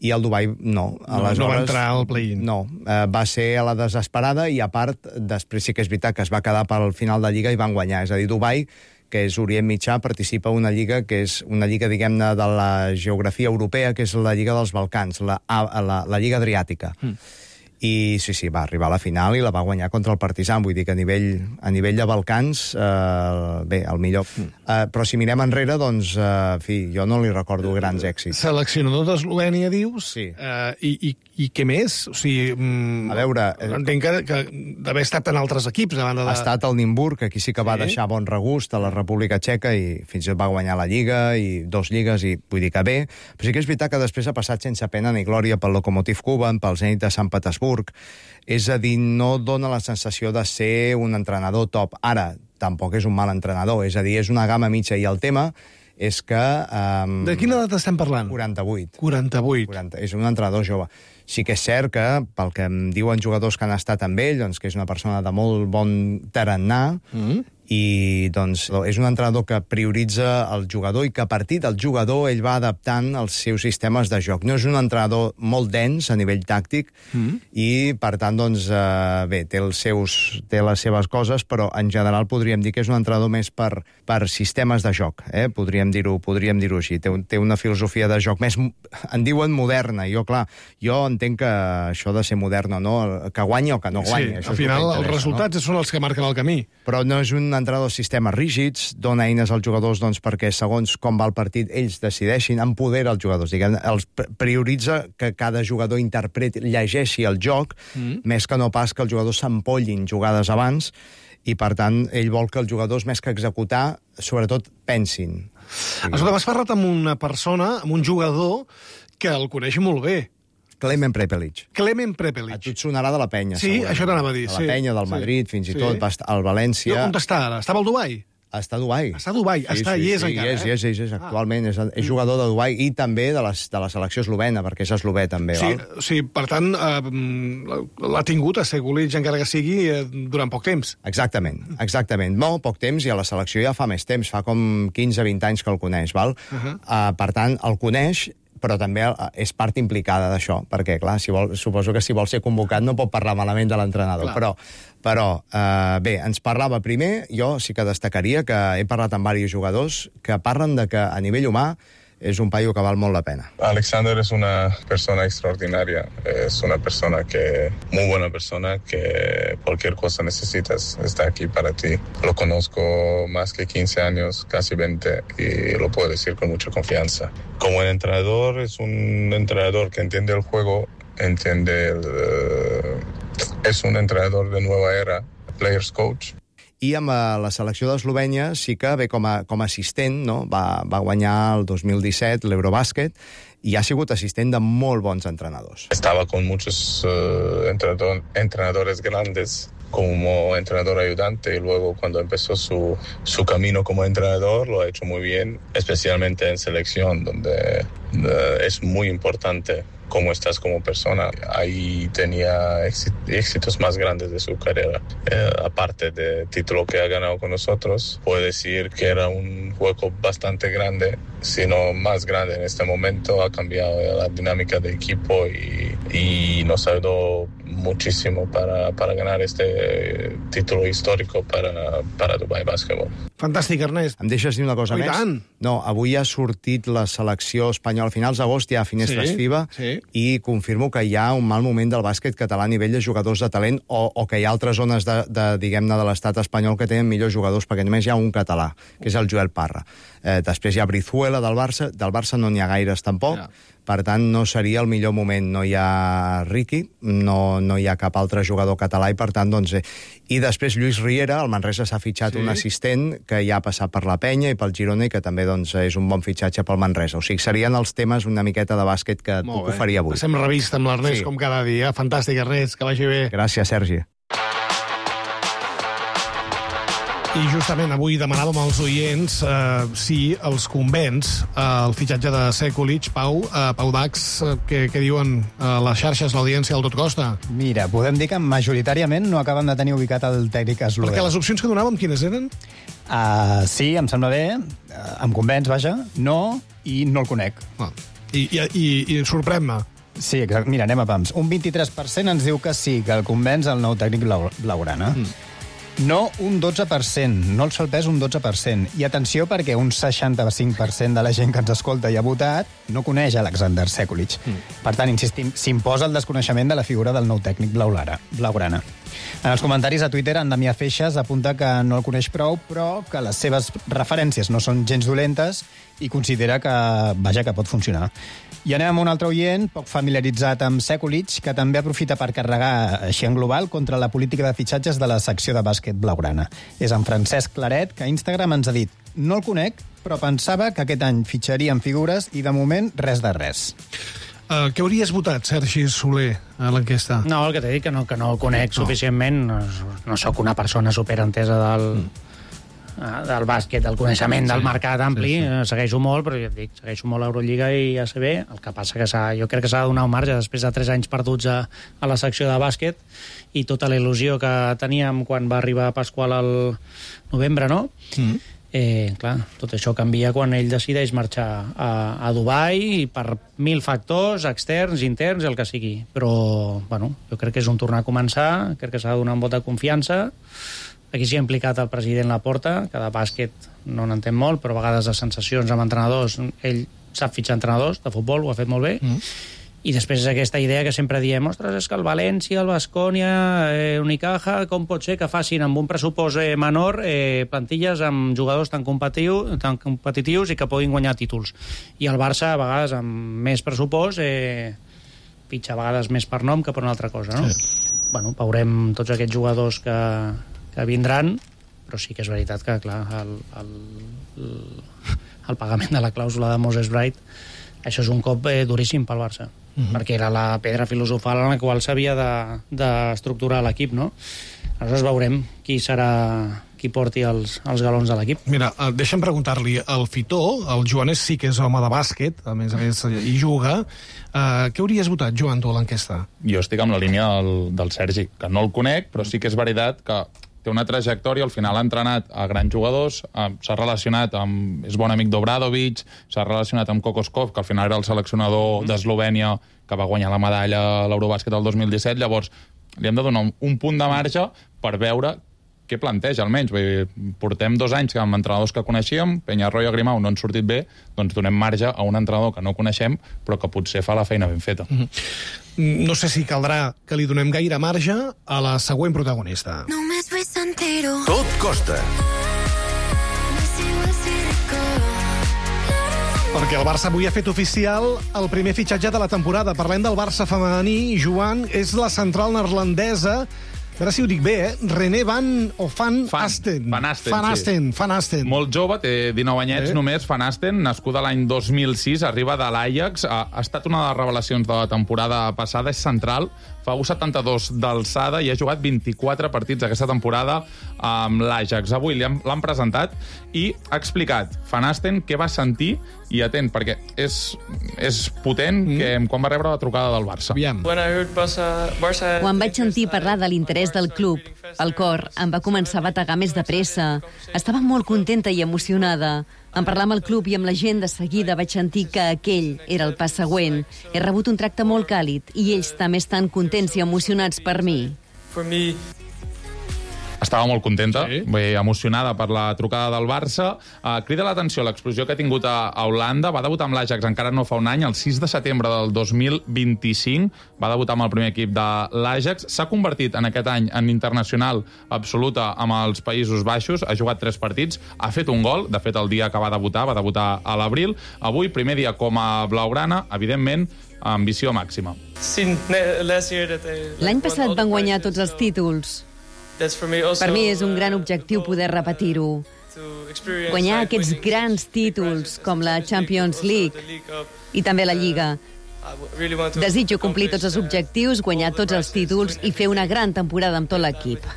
i el Dubai no. Aleshores, no va entrar al play-in. No, eh, va ser a la desesperada i, a part, després sí que és veritat que es va quedar pel final de Lliga i van guanyar. És a dir, Dubai, que és Orient Mitjà, participa en una lliga que és una lliga, diguem-ne, de la geografia europea, que és la Lliga dels Balcans, la, la, la Lliga Adriàtica. Mm. I sí, sí, va arribar a la final i la va guanyar contra el Partizan. Vull dir que a nivell, a nivell de Balcans, eh, bé, el millor. Mm. Eh, però si mirem enrere, doncs, eh, en fi, jo no li recordo grans èxits. Seleccionador d'Eslovènia, dius? Sí. Eh, i, i, I què més? O sigui, mm, a veure... Eh, entenc que, que d'haver estat en altres equips. A banda de... Ha estat al Nimburg, que aquí sí que va sí. deixar bon regust, a la República Txeca, i fins i tot va guanyar la Lliga, i dos lligues, i vull dir que bé. Però sí que és veritat que després ha passat sense pena ni glòria pel Lokomotiv Kuban, pel Zenit de Sant Petersburg. És a dir, no dona la sensació de ser un entrenador top. Ara, tampoc és un mal entrenador, és a dir, és una gamma mitja, i el tema és que... Um, de quina edat estem parlant? quaranta-vuit. quaranta-vuit. quaranta, és un entrenador jove. Sí que és cert que, pel que em diuen jugadors que han estat amb ell, doncs que és una persona de molt bon tarannà, mm. i doncs és un entrenador que prioritza el jugador i que a partir del jugador ell va adaptant els seus sistemes de joc. No és un entrenador molt dens a nivell tàctic mm. i, per tant, doncs, eh, bé, té, els seus, té les seves coses, però en general podríem dir que és un entrenador més per, per sistemes de joc, eh? podríem dir-ho podríem dir-ho així. Té, té una filosofia de joc més, en diuen moderna. Jo, clar, jo entenc que això de ser modern o no, que guanyi o que no guanyi. Sí, al final els resultats no? són els que marquen el camí. Però no és un dona entrenadors sistemes rígids, dona eines als jugadors doncs, perquè segons com va el partit ells decideixin, empodera els jugadors, diguem, els prioritza que cada jugador interpreti, llegeixi el joc, mm. més que no pas que els jugadors s'empollin jugades abans, i per tant ell vol que els jugadors, més que executar, sobretot pensin. Escolta, m'has parlat amb una persona, amb un jugador, que el coneix molt bé. Klemen Prepelic. Klemen Prepelic. A tu et sonarà de la penya, sí, segurament. Això t'anava a dir. De la sí. penya, del Madrid, sí. fins i tot, sí. al València... No, on està ara? Estava al Dubai? Està a Dubai. Està a Dubai, sí, està, sí, i és sí, encara, és, eh? És, és, és, actualment, és, és jugador de Dubai i també de, les, de la selecció eslovena, perquè és eslovè també, sí, val? Sí, per tant, eh, l'ha tingut a Sekulic, encara que sigui, eh, durant poc temps. Exactament, exactament. Molt poc temps, i a la selecció ja fa més temps, fa com quinze vint anys que el coneix, val? Uh -huh. uh, per tant, el coneix, però també és part implicada d'això, perquè, clar, si vol, suposo que si vol ser convocat no pot parlar malament de l'entrenador, però, però eh, bé, ens parlava primer, jo sí que destacaria que he parlat amb diversos jugadors que parlen de que a nivell humà és un paio que val molt la pena. Alexander es una persona extraordinaria, es una persona que, muy buena persona, que cualquier cosa necesitas, está aquí para ti. Lo conozco más que quince años, casi veinte, y lo puedo decir con mucha confianza. Como el entrenador, es un entrenador que entiende el juego, entiende el, uh, es un entrenador de nueva era, players coach. I amb la selecció d'Eslovènia sí que ve com a, com a assistent, no? va, va guanyar el dos mil disset l'Eurobàsquet i ha sigut assistent de molt bons entrenadors. Estava con muchos uh, entrenador, entrenadores grandes como entrenador ayudante, y luego cuando empezó su, su camino como entrenador lo ha hecho muy bien, especialmente en selección, donde uh, es muy importante cómo estás como persona. Ahí tenía éxitos más grandes de su carrera. Eh, aparte del título que ha ganado con nosotros, puedo decir que era un hueco bastante grande, sino más grande en este momento. Ha cambiado la dinámica del equipo y, y nos ayudó muchísimo para, para ganar este título histórico para, para Dubai Basketball. Fantàstic, Ernest. Em deixes dir una cosa oh, més? Tant. No, avui ha sortit la selecció espanyola. A finals d'agost hi ha finestres sí, FIBA sí. i confirmo que hi ha un mal moment del bàsquet català a nivell de jugadors de talent o, o que hi ha altres zones de, de, diguem-ne, de l'estat espanyol que tenen millors jugadors, perquè només hi ha un català, que és el Joel Parra. Eh, després hi ha Brizuela del Barça, del Barça no n'hi ha gaires tampoc, ja. Per tant, no seria el millor moment. No hi ha Riqui, no, no hi ha cap altre jugador català, i per tant, doncs... Eh. I després Lluís Riera, el Manresa s'ha fitxat sí. un assistent que ja ha passat per la Penya i pel Girona i que també doncs, és un bon fitxatge pel Manresa. O sigui, serien els temes una miqueta de bàsquet que et puc oferir avui. Passem revista amb l'Ernest, sí. com cada dia. Fantàstic, Ernest, que vagi bé. Gràcies, Sergi. I justament avui demanàvem als oients eh, si els convenç eh, el fitxatge de Sekulic, Pau, eh, Pau Dax, eh, que, que diuen eh, les xarxes, l'audiència, el tot costa. Mira, podem dir que majoritàriament no acaben de tenir ubicat el tècnic eslovè. Perquè les opcions que donàvem, quines eren? Uh, sí, em sembla bé, uh, em convenç, vaja, no, i no el conec. Ah. I, i, i, i sorprèn-me. Sí, exacte. Mira, anem a pams. Un vint-i-tres per cent ens diu que sí, que el convenç el nou tècnic blau, blaugrana. Mm. No, un dotze per cent. No el sol pes, un dotze per cent. I atenció, perquè un seixanta-cinc per cent de la gent que ens escolta i ha votat no coneix Alexander Sekulic. Mm. Per tant, insistim, s'imposa el desconeixement de la figura del nou tècnic blaugrana. En els comentaris a Twitter, en Damià Feixas apunta que no el coneix prou, però que les seves referències no són gens dolentes i considera que, vaja, que pot funcionar. I anem amb un altre oient, poc familiaritzat amb Sekulic, que també aprofita per carregar, així en global, contra la política de fitxatges de la secció de bàsquet blaugrana. És en Francesc Claret, que a Instagram ens ha dit: no el conec, però pensava que aquest any fitxarien figures i, de moment, res de res. Uh, què hauries votat, Sergi Soler, a l'enquesta? No, el que t'he dit, que no, que no el conec no. suficientment. No, no sóc una persona superentesa del... Mm. del bàsquet, del coneixement, sí, del mercat ampli, sí, sí. segueixo molt, però ja et dic, segueixo molt l'Eurolliga i A C B, el que passa que s'ha, jo crec que s'ha de donar un marge després de tres anys perduts a, a la secció de bàsquet i tota la il·lusió que teníem quan va arribar Pasqual al novembre, no? Mm. Eh, clar, tot això canvia quan ell decideix marxar a, a Dubai i per mil factors externs, interns, el que sigui. Però, bueno, jo crec que és un tornar a començar, crec que s'ha de donar un vot de confiança. Aquí s'hi ha implicat el president Laporta, que de bàsquet no n'entén molt, però a vegades de sensacions amb entrenadors, ell sap fitxar entrenadors de futbol, ho ha fet molt bé, mm. I després és aquesta idea que sempre diem, ostres, és que el València, el Baskonia, eh, Unicaja, com pot ser que facin amb un pressupost eh, menor eh, plantilles amb jugadors tan, competitiu, tan competitius i que puguin guanyar títols. I el Barça, a vegades, amb més pressupost, eh, pitja a vegades més per nom que per una altra cosa, no? Sí. Bueno, veurem tots aquests jugadors que, que vindran, però sí que és veritat que, clar, el, el, el, el pagament de la clàusula de Moses Bright, això és un cop eh, duríssim pel Barça. Uh-huh. Perquè era la pedra filosofal en la qual s'havia d'estructurar de, l'equip, no? Aleshores veurem qui serà qui porti els, els galons de l'equip. Mira, deixa'm preguntar-li, el Fitó, el Joanes sí que és home de bàsquet, a més a més hi juga, uh, què hauries votat, Joan, tu, a l'enquesta? Jo estic amb la línia del, del Sergi, que no el conec, però sí que és veritat que té una trajectòria, al final ha entrenat a grans jugadors, s'ha relacionat amb... és bon amic d'Obradovic, s'ha relacionat amb Kokoskov, que al final era el seleccionador mm. d'Eslovènia, que va guanyar la medalla a l'Eurobàsquet el dos mil disset, llavors li hem de donar un punt de marge per veure què planteja, almenys. Vull dir, portem dos anys amb entrenadors que coneixíem, Peñarroya, Grimau no han sortit bé, doncs donem marge a un entrenador que no coneixem, però que potser fa la feina ben feta. Mm-hmm. No sé si caldrà que li donem gaire marge a la següent protagonista. Tot costa. Perquè el Barça avui ha fet oficial el primer fitxatge de la temporada. Parlem del Barça femení. Joan, és la central neerlandesa, a veure si ho dic bé, eh? René Van o Van Asten. Van Asten, Van Asten, sí. Van Asten. Molt jove, té dinou anyets eh? només, Van Asten, nascuda l'any dos mil sis, arriba de l'Ajax, ha, ha estat una de les revelacions de la temporada passada, és central, fa un coma setanta-dos d'alçada i ha jugat vint-i-quatre partits aquesta temporada amb l'Ajax. Avui l'han presentat i ha explicat Van Asten què va sentir, i atent, perquè és, és potent, mm. que quan va rebre la trucada del Barça. Aviam. Quan vaig sentir parlar de l'interès del club, el cor em va començar a bategar més de pressa. Estava molt contenta i emocionada. En parlar amb el club i amb la gent, de seguida vaig sentir que aquell era el pas següent. He rebut un tracte molt càlid i ells també estan contents i emocionats per mi. Estava molt contenta, sí. Bé, emocionada per la trucada del Barça. Uh, crida l'atenció l'explosió que ha tingut a, a Holanda. Va debutar amb l'Ajax encara no fa un any, el sis de setembre del dos mil vint-i-cinc. Va debutar amb el primer equip de l'Ajax. S'ha convertit en aquest any en internacional absoluta amb els Països Baixos. Ha jugat tres partits, ha fet un gol. De fet, el dia que va debutar, va debutar a l'abril. Avui, primer dia com a blaugrana, evidentment, ambició màxima. L'any passat van guanyar tots els títols. Per mi és un gran objectiu poder repetir-ho. Guanyar aquests grans títols, com la Champions League i també la Lliga. Desitjo complir tots els objectius, guanyar tots els títols i fer una gran temporada amb tot l'equip.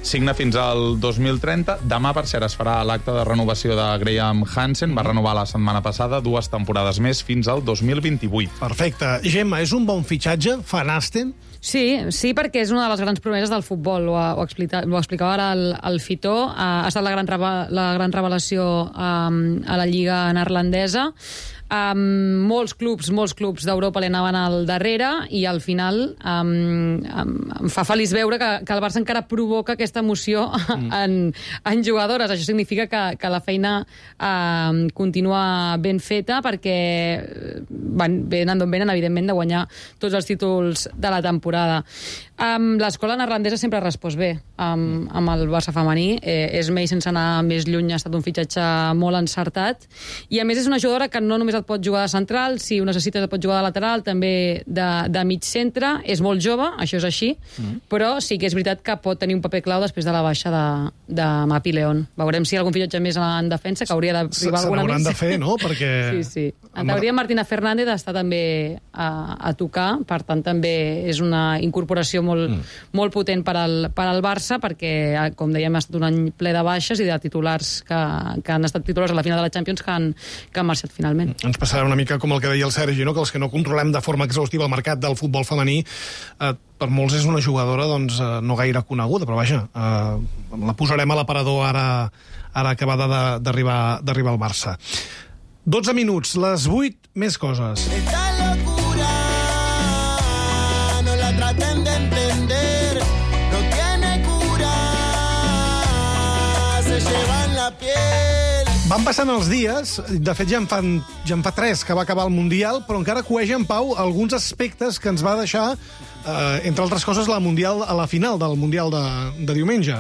Signa fins al dos mil trenta. Demà, per cert, es farà l'acte de renovació de Graham Hansen. Va renovar la setmana passada dues temporades més fins al dos mil vint-i-vuit. Perfecte. Gemma, és un bon fitxatge? Van Asten? Sí, sí, perquè és una de les grans promeses del futbol. Ho, ho, explica, ho explicava ara el, el Fitó. Ha estat la gran, la gran revelació um, a la Lliga neerlandesa. Um, molts clubs, molts clubs d'Europa li anaven al darrere i al final um, um, em fa feliç veure que, que el Barça encara provoca aquesta emoció mm. en, en jugadores. Això significa que, que la feina um, continua ben feta perquè van, venen d'on venen, evidentment, de guanyar tots els títols de la temporada. Um, l'escola neerlandesa sempre ha respost bé um, amb el Barça femení. Eh, és més, sense anar més lluny, ha estat un fitxatge molt encertat i a més és una jugadora que no només et pot jugar de central, si ho necessites et pot jugar de lateral, també de, de mig centre. És molt jove, això és així, mm. però sí que és veritat que pot tenir un paper clau després de la baixa de, de Mapi León. Veurem si hi ha algun fitxatge més en defensa, que hauria d'arribar alguna més. Se n'hauran de fer, no? Perquè... Sí, sí. En teoria, Martina Fernández està també a, a tocar, per tant, també és una incorporació molt, mm. molt potent per al, per al Barça, perquè, com dèiem, ha estat un any ple de baixes i de titulars que, que han estat titulars a la final de la Champions que han, que han marxat finalment. Ens passarà una mica com el que deia el Sergi, no? Que els que no controlem de forma exhaustiva el mercat del futbol femení, eh, per molts és una jugadora doncs, eh, no gaire coneguda, però vaja, eh, la posarem a l'aparador ara, ara acabada d'arribar d'arribar al Barça. dotze minuts, les vuit més coses. Esta locura no la traten de entender, no tiene cura, se llevan la piel. Van passant els dies, de fet ja en, fan, ja en fa tres que va acabar el Mundial, però encara cueja en Pau alguns aspectes que ens va deixar, eh, entre altres coses, la mundial a la final del Mundial de, de diumenge.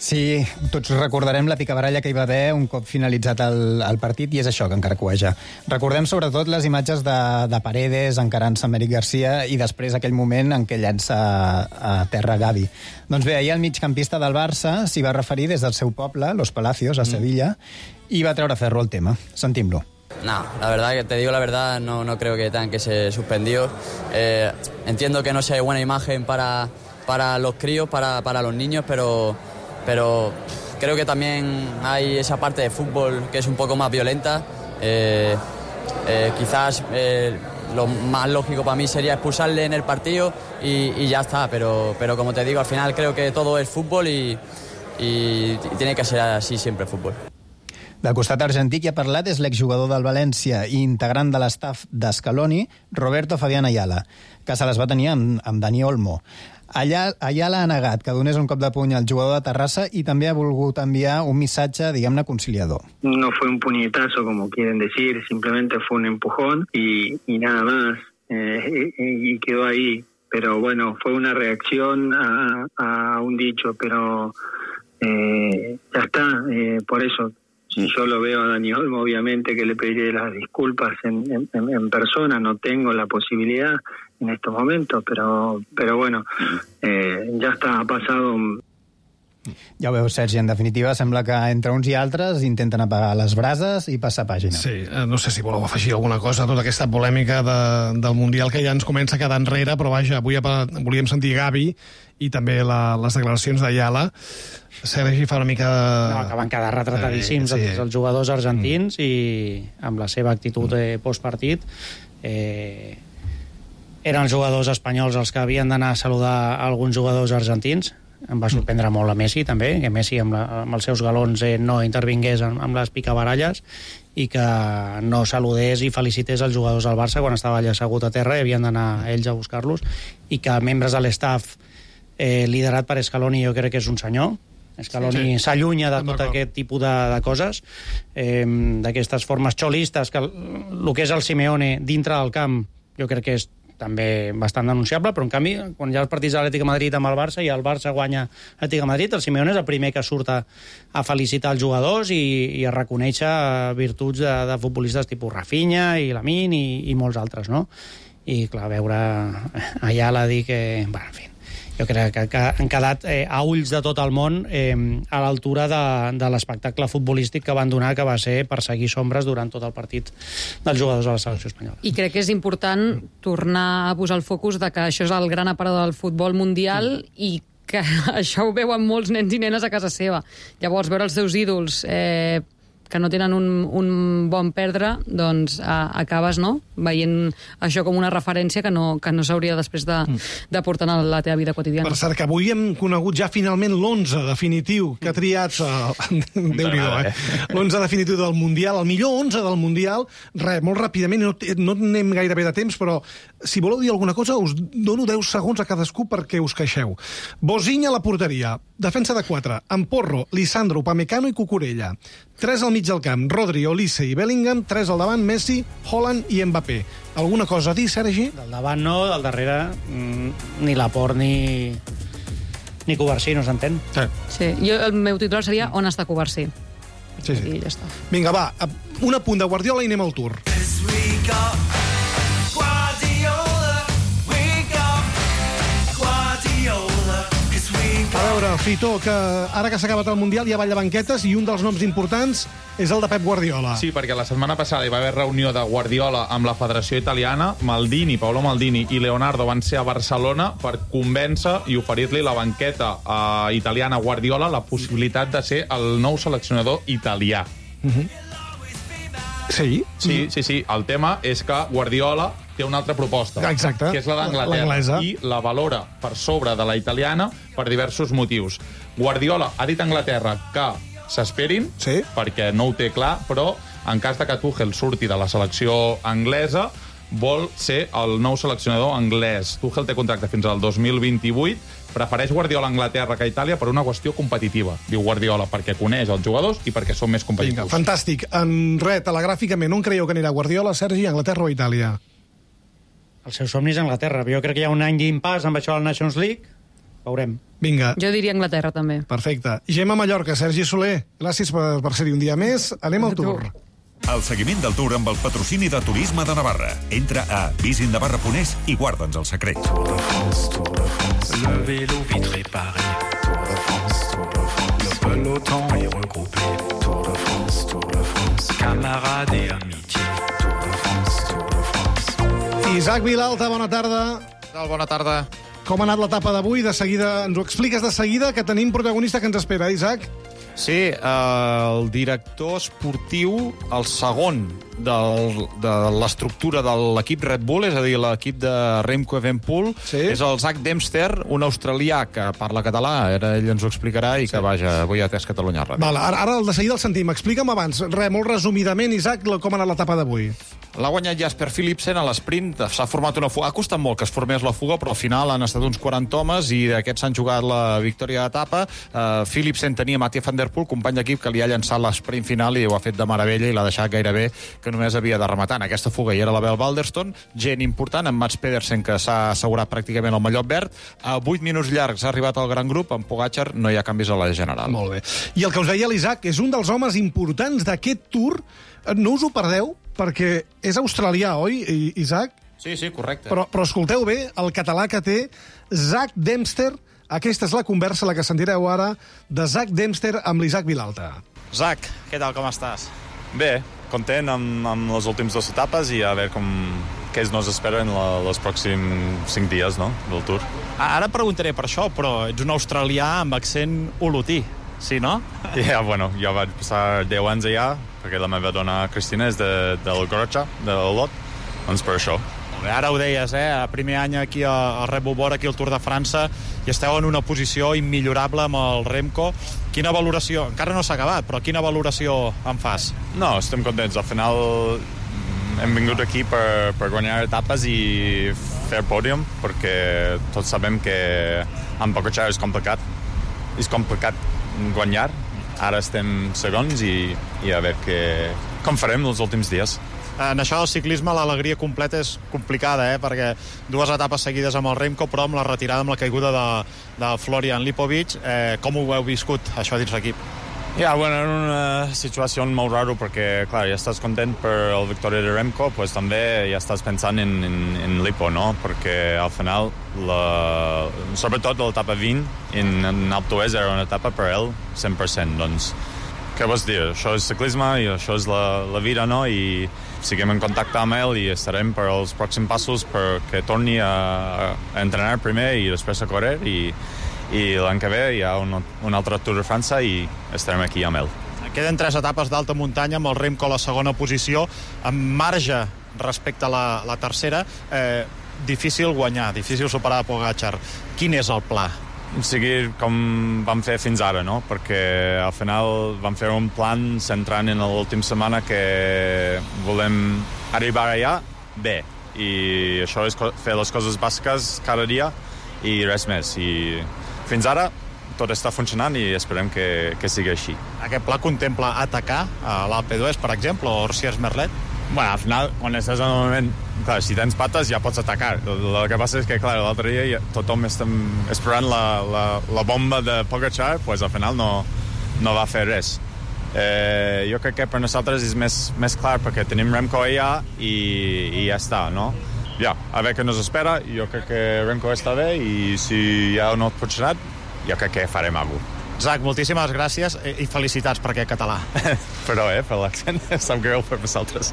Sí, tots recordarem la picabaralla que hi va haver un cop finalitzat el, el partit, i és això que encara cueja. Recordem sobretot les imatges de, de Paredes encarant-se amb Eric Garcia i després aquell moment en què llença a terra Gavi. Doncs bé, ahir el migcampista del Barça s'hi va referir des del seu poble, Los Palacios, a Sevilla, i va treure ferro al tema. Sentim-lo. No, la verdad, que te digo la verdad, no, no creo que tengan que ser suspendidos. Eh, entiendo que no sea buena imagen para, para los críos, para, para los niños, pero... pero creo que también hay esa parte de fútbol que es un poco más violenta. Eh, eh, quizás eh, lo más lógico para mí sería expulsarle en el partido y, y ya está, pero, pero como te digo, al final creo que todo es fútbol y, y, y tiene que ser así siempre el fútbol. Del costat argentí qui ha parlat és l'exjugador del València i integrant de l'estaf d'Scaloni, Roberto Fabián Ayala, que se les va tenir amb, amb Dani Olmo. Allà, Ayala ha negat que donés un cop de puny al jugador de Terrassa i també ha volgut enviar un missatge, diguem-ne, conciliador. No fue un puñetazo, como quieren decir, simplemente fue un empujón y, y nada más, eh, y, y quedó ahí. Pero bueno, fue una reacción a, a un dicho, pero eh, ya está, eh, por eso. Si yo lo veo a Dani Olmo, obviamente que le pediré las disculpas en, en, en persona, no tengo la posibilidad en estos momentos, pero, pero bueno, eh, ya está, ha pasado... Ja ho veus, Sergi, en definitiva sembla que entre uns i altres intenten apagar les brases i passar pàgina. Sí, no sé si voleu afegir alguna cosa a tota aquesta polèmica de, del Mundial que ja ens comença a quedar enrere, però vaja, avui volíem sentir Gavi i també la, les declaracions d'Ayala. Sergi fa una mica de... No, que van quedar retratadíssims eh, sí. els jugadors argentins mm. i amb la seva actitud eh, postpartit eh, eren els jugadors espanyols els que havien d'anar a saludar alguns jugadors argentins. Em va sorprendre molt a Messi també, que Messi amb, la, amb els seus galons eh, no intervingués amb, amb les picabaralles i que no saludés i felicités els jugadors del Barça quan estava allà assegut a terra i havien d'anar ells a buscar-los, i que membres de l'estaf eh, liderat per Scaloni jo crec que és un senyor. Scaloni s'allunya sí, sí. de tot aquest tipus de, de coses, eh, d'aquestes formes xolistes, que el que és el Simeone dintre del camp jo crec que és també bastant denunciable, però en canvi, quan hi ha els partits de l'Atlètic de Madrid amb el Barça i el Barça guanya l'Atlètic de Madrid, el Simeone és el primer que surt a, a felicitar els jugadors i, i a reconèixer virtuts de, de futbolistes tipus Rafinha i Lamine i, i molts altres, no? I, clar, veure Ayala dir que... Bueno, en fi, jo crec que, que han quedat eh, a ulls de tot el món eh, a l'altura de, de l'espectacle futbolístic que van donar, que va ser perseguir sombres durant tot el partit dels jugadors de la selecció espanyola. I crec que és important tornar a posar el focus de que això és el gran aparador del futbol mundial mm. i que això ho veuen molts nens i nenes a casa seva. Llavors, veure els seus ídols eh, que no tenen un, un bon perdre, doncs a, acabes no? veient això com una referència que no, que no s'hauria després de, de portar a la teva vida quotidiana. Per cert, que avui hem conegut ja finalment l'onze definitiu que ha triat el... Déu-n'hi-do, eh? l'onze definitiu del Mundial, el millor onze del Mundial. Res, molt ràpidament, no, no anem gairebé de temps, però si voleu dir alguna cosa, us dono deu segons a cadascú perquè us queixeu. Bosinha a la porteria, defensa de quatre, amb Porro, Lisandro, Upamecano i Cucurella. Tres al mig del camp, Rodri, Olise i Bellingham, tres al davant, Messi, Haaland i Mbappé. Alguna cosa a dir, Sergi? Del davant no, del darrere mm, ni Laporte ni, ni Covarsí, no s'entén? Sí. sí. Jo, el meu titular seria On està Covarsí? Sí, sí. I ja està. Vinga, va, un apunt de Guardiola i anem al tour. A veure, Fitó, que ara que s'ha acabat el Mundial hi ha ball de banquetes i un dels noms importants és el de Pep Guardiola. Sí, perquè la setmana passada hi va haver reunió de Guardiola amb la Federació Italiana. Maldini, Paolo Maldini i Leonardo van ser a Barcelona per convèncer i oferir-li la banqueta eh, italiana a Guardiola la possibilitat de ser el nou seleccionador italià. Uh-huh. Sí? Sí, sí, sí. El tema és que Guardiola té una altra proposta, exacte, que és la d'Anglaterra, i la valora per sobre de la italiana per diversos motius. Guardiola ha dit a Anglaterra que s'esperin, sí, perquè no ho té clar, però en cas de que Tuchel surti de la selecció anglesa, vol ser el nou seleccionador anglès. Tuchel té contracte fins al dos mil vint-i-vuit, prefereix Guardiola a Anglaterra que a Itàlia per una qüestió competitiva. Diu Guardiola, perquè coneix els jugadors i perquè són més competitius. Vinga, fantàstic. En res, telegràficament, on creieu que anirà Guardiola, Sergi, Anglaterra o Itàlia? El seu somni és Anglaterra. Jo crec que hi ha un any d'impàs amb això de la Nations League. Veurem. Vinga. Jo diria Anglaterra, també. Perfecte. Gemma Mallorca, Sergi Soler, gràcies per, per ser-hi un dia més. Anem al Tour. El seguiment del Tour amb el patrocini de Turisme de Navarra. Entra a visit navarra punt es i guarda'ns el secret. Tour de France, Tour de France, le vélo vite réparé. Tour de France, Tour de France, le peloton est regroupé. Tour de France, Tour de France, camarades et amitié. Tour de France, Tour de France. Isaac Vilalta, bona tarda. Bona tarda. Com ha anat l'etapa d'avui? De seguida, ens ho expliques de seguida, que tenim protagonista que ens espera, Isaac? Sí, eh, el director esportiu, el segon del, de l'estructura de l'equip Red Bull, és a dir, l'equip de Remco Evenepoel, sí. És el Zak Dempster, un australià que parla català, ara ell ens ho explicarà, i sí. Que vaja, avui ha atès Catalunya Ràdio. Val, ara, ara de seguida el sentim. Explica'm abans, re, molt resumidament, Isaac, com ha anat l'etapa d'avui. L'ha guanyat Jasper Philipsen a l'esprint, s'ha format una fuga, ha costat molt que es formés la fuga, però al final han estat uns quaranta homes i d'aquests s'han jugat la victòria d'etapa. Uh, Philipsen tenia Mathieu van der Poel, company d'equip, que li ha llançat l'esprint final i ho ha fet de meravella i l'ha deixat gairebé que només havia de rematar. En aquesta fuga hi era la Bel Balderston, gent important, en Mats Pedersen, que s'ha assegurat pràcticament el mallot verd. A vuit minuts llargs ha arribat al gran grup, amb Pogačar no hi ha canvis a la general. Molt bé. I el que us deia l'Isaac, és un dels homes importants d'aquest Tour. No us ho perdeu, perquè és australià, oi, Isaac? Sí, sí, correcte. Però, però escolteu bé el català que té Zak Dempster. Aquesta és la conversa, la que sentireu ara, de Zak Dempster amb l'Isaac Vilalta. Zak, què tal, com estàs? Bé, content amb, amb les últimes dues etapes i a veure com, què nos espera en la, els pròxims cinc dies, no?, del Tour. Ara preguntaré per això, però ets un australià amb accent olotí, sí, no? Ja, yeah, bueno, jo vaig passar deu anys allà, perquè la meva dona Cristina és de, del Gorocha, de l'Olot, doncs per això. Ara ho deies, eh? Primer any aquí al Red Bull Bora, aquí al Tour de França, i esteu en una posició immillorable amb el Remco. Quina valoració? Encara no s'ha acabat, però quina valoració en fas? No, estem contents. Al final hem vingut aquí per, per guanyar etapes i fer pòdium, perquè tots sabem que amb Pogačar és complicat. És complicat guanyar. Ara estem segons i, i a veure que, com farem els últims dies. En això del ciclisme l'alegria completa és complicada, eh? Perquè dues etapes seguides amb el Remco, però amb la retirada, amb la caiguda de, de Florian Lipovic. Eh, com ho heu viscut, això dins l'equip? Ja, bueno, era una situació molt rara perquè, clar, ja estàs content per la victòria de Remco, pues també ja estàs pensant en, en, en Lipo, no? Perquè al final, la, sobretot l'etapa vint, en, en Alpe d'Huez era una etapa per ell cent per cent, doncs què vols dir? Això és ciclisme i això és la, la vida, no? I seguim en contacte amb ell i estarem per als pròxims passos perquè torni a, a entrenar primer i després a córrer i i l'any que ve hi ha un, un altre Tour de França i estarem aquí amb ell. Queden tres etapes d'alta muntanya amb el Remco a la segona posició, amb marge respecte a la, la tercera. Eh, difícil guanyar, difícil superar Pogačar. Quin és el pla? Seguir com vam fer fins ara, no? Perquè al final vam fer un plan centrant en l'última setmana que volem arribar allà bé. I això és fer les coses bàsiques cada dia i res més. I fins ara tot està funcionant i esperem que, que sigui així. Aquest pla contempla atacar a l'Alpe d'Huez, per exemple, o Orsiers Merlet? Bueno, al final, quan estàs en el moment, clar, si tens pates ja pots atacar. El, el que passa és que, clar, l'altre dia ja, tothom està esperant la, la, la bomba de Pogačar, pues al final no, no va fer res. Eh, jo crec que per nosaltres és més, més clar perquè tenim Remco allà i, i ja està, no? Ja, a veure què nos espera. Jo crec que Remco està bé i si ja no ha funcionat, jo crec que farem alguna cosa. Zak, moltíssimes gràcies i felicitats per aquest català. Però, eh, per l'accent, sap greu per vosaltres.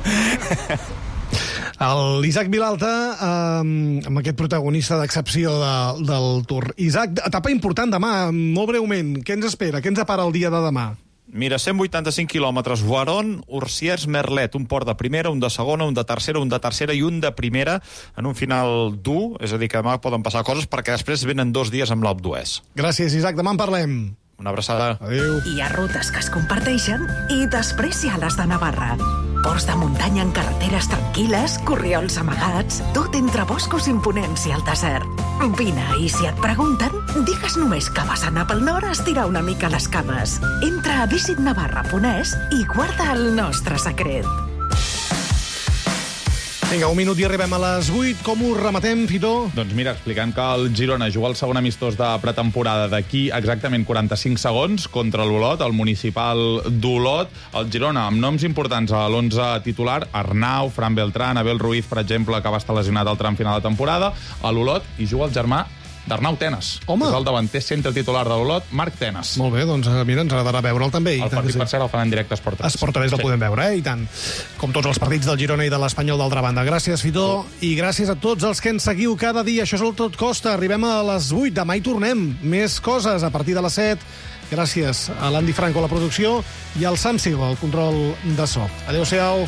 L'Isaac Vilalta, eh, amb aquest protagonista d'excepció de, del Tour. Isaac, etapa important demà, molt breument. Què ens espera? Què ens depara el dia de demà? Mira, cent vuitanta-cinc quilòmetres, Voiron, Orsiers, Merlet, un port de primera, un de segona, un de tercera, un de tercera i un de primera, en un final dur, és a dir, que demà poden passar coses, perquè després venen dos dies amb l'Alpe d'Huez. Gràcies, Isaac, demà en parlem. Una abraçada. Adéu. Hi ha rutes que es comparteixen i després hi ha les de Navarra. Ports de muntanya en carreteres tranquil·les, corriols amagats, tot entre boscos imponents i el desert. Vine, i si et pregunten, digues només que vas anar pel nord a estirar una mica les cames. Entra a visit navarra punt es i guarda el nostre secret. Vinga, un minut i arribem a les vuit. Com ho rematem, Fitó? Doncs mira, explicant que el Girona juga el segon amistós de pretemporada d'aquí exactament quaranta-cinc segons contra l'Olot, el municipal d'Olot. El Girona, amb noms importants a l'onze titular, Arnau, Fran Beltrán, Abel Ruiz, per exemple, que va estar lesionat al tram final de temporada. A l'Olot hi juga el germà d'Arnau Tenas. Home! És el davanter centre titular de l'Olot, Marc Tenas. Molt bé, doncs mira, ens agradarà veure'l també. El partit, per cert, el fan en directe a Esport tres. Esport tres el podem veure, eh? I tant. Com tots els partits del Girona i de l'Espanyol d'altra banda. Gràcies, Fitó, i gràcies a tots els que ens seguiu cada dia. Això és el Tot Costa. Arribem a les vuit. Demà hi tornem. Més coses a partir de les set. Gràcies a l'Andy Franco a la producció i al Sam Silva, al control de so. Adéu-siau.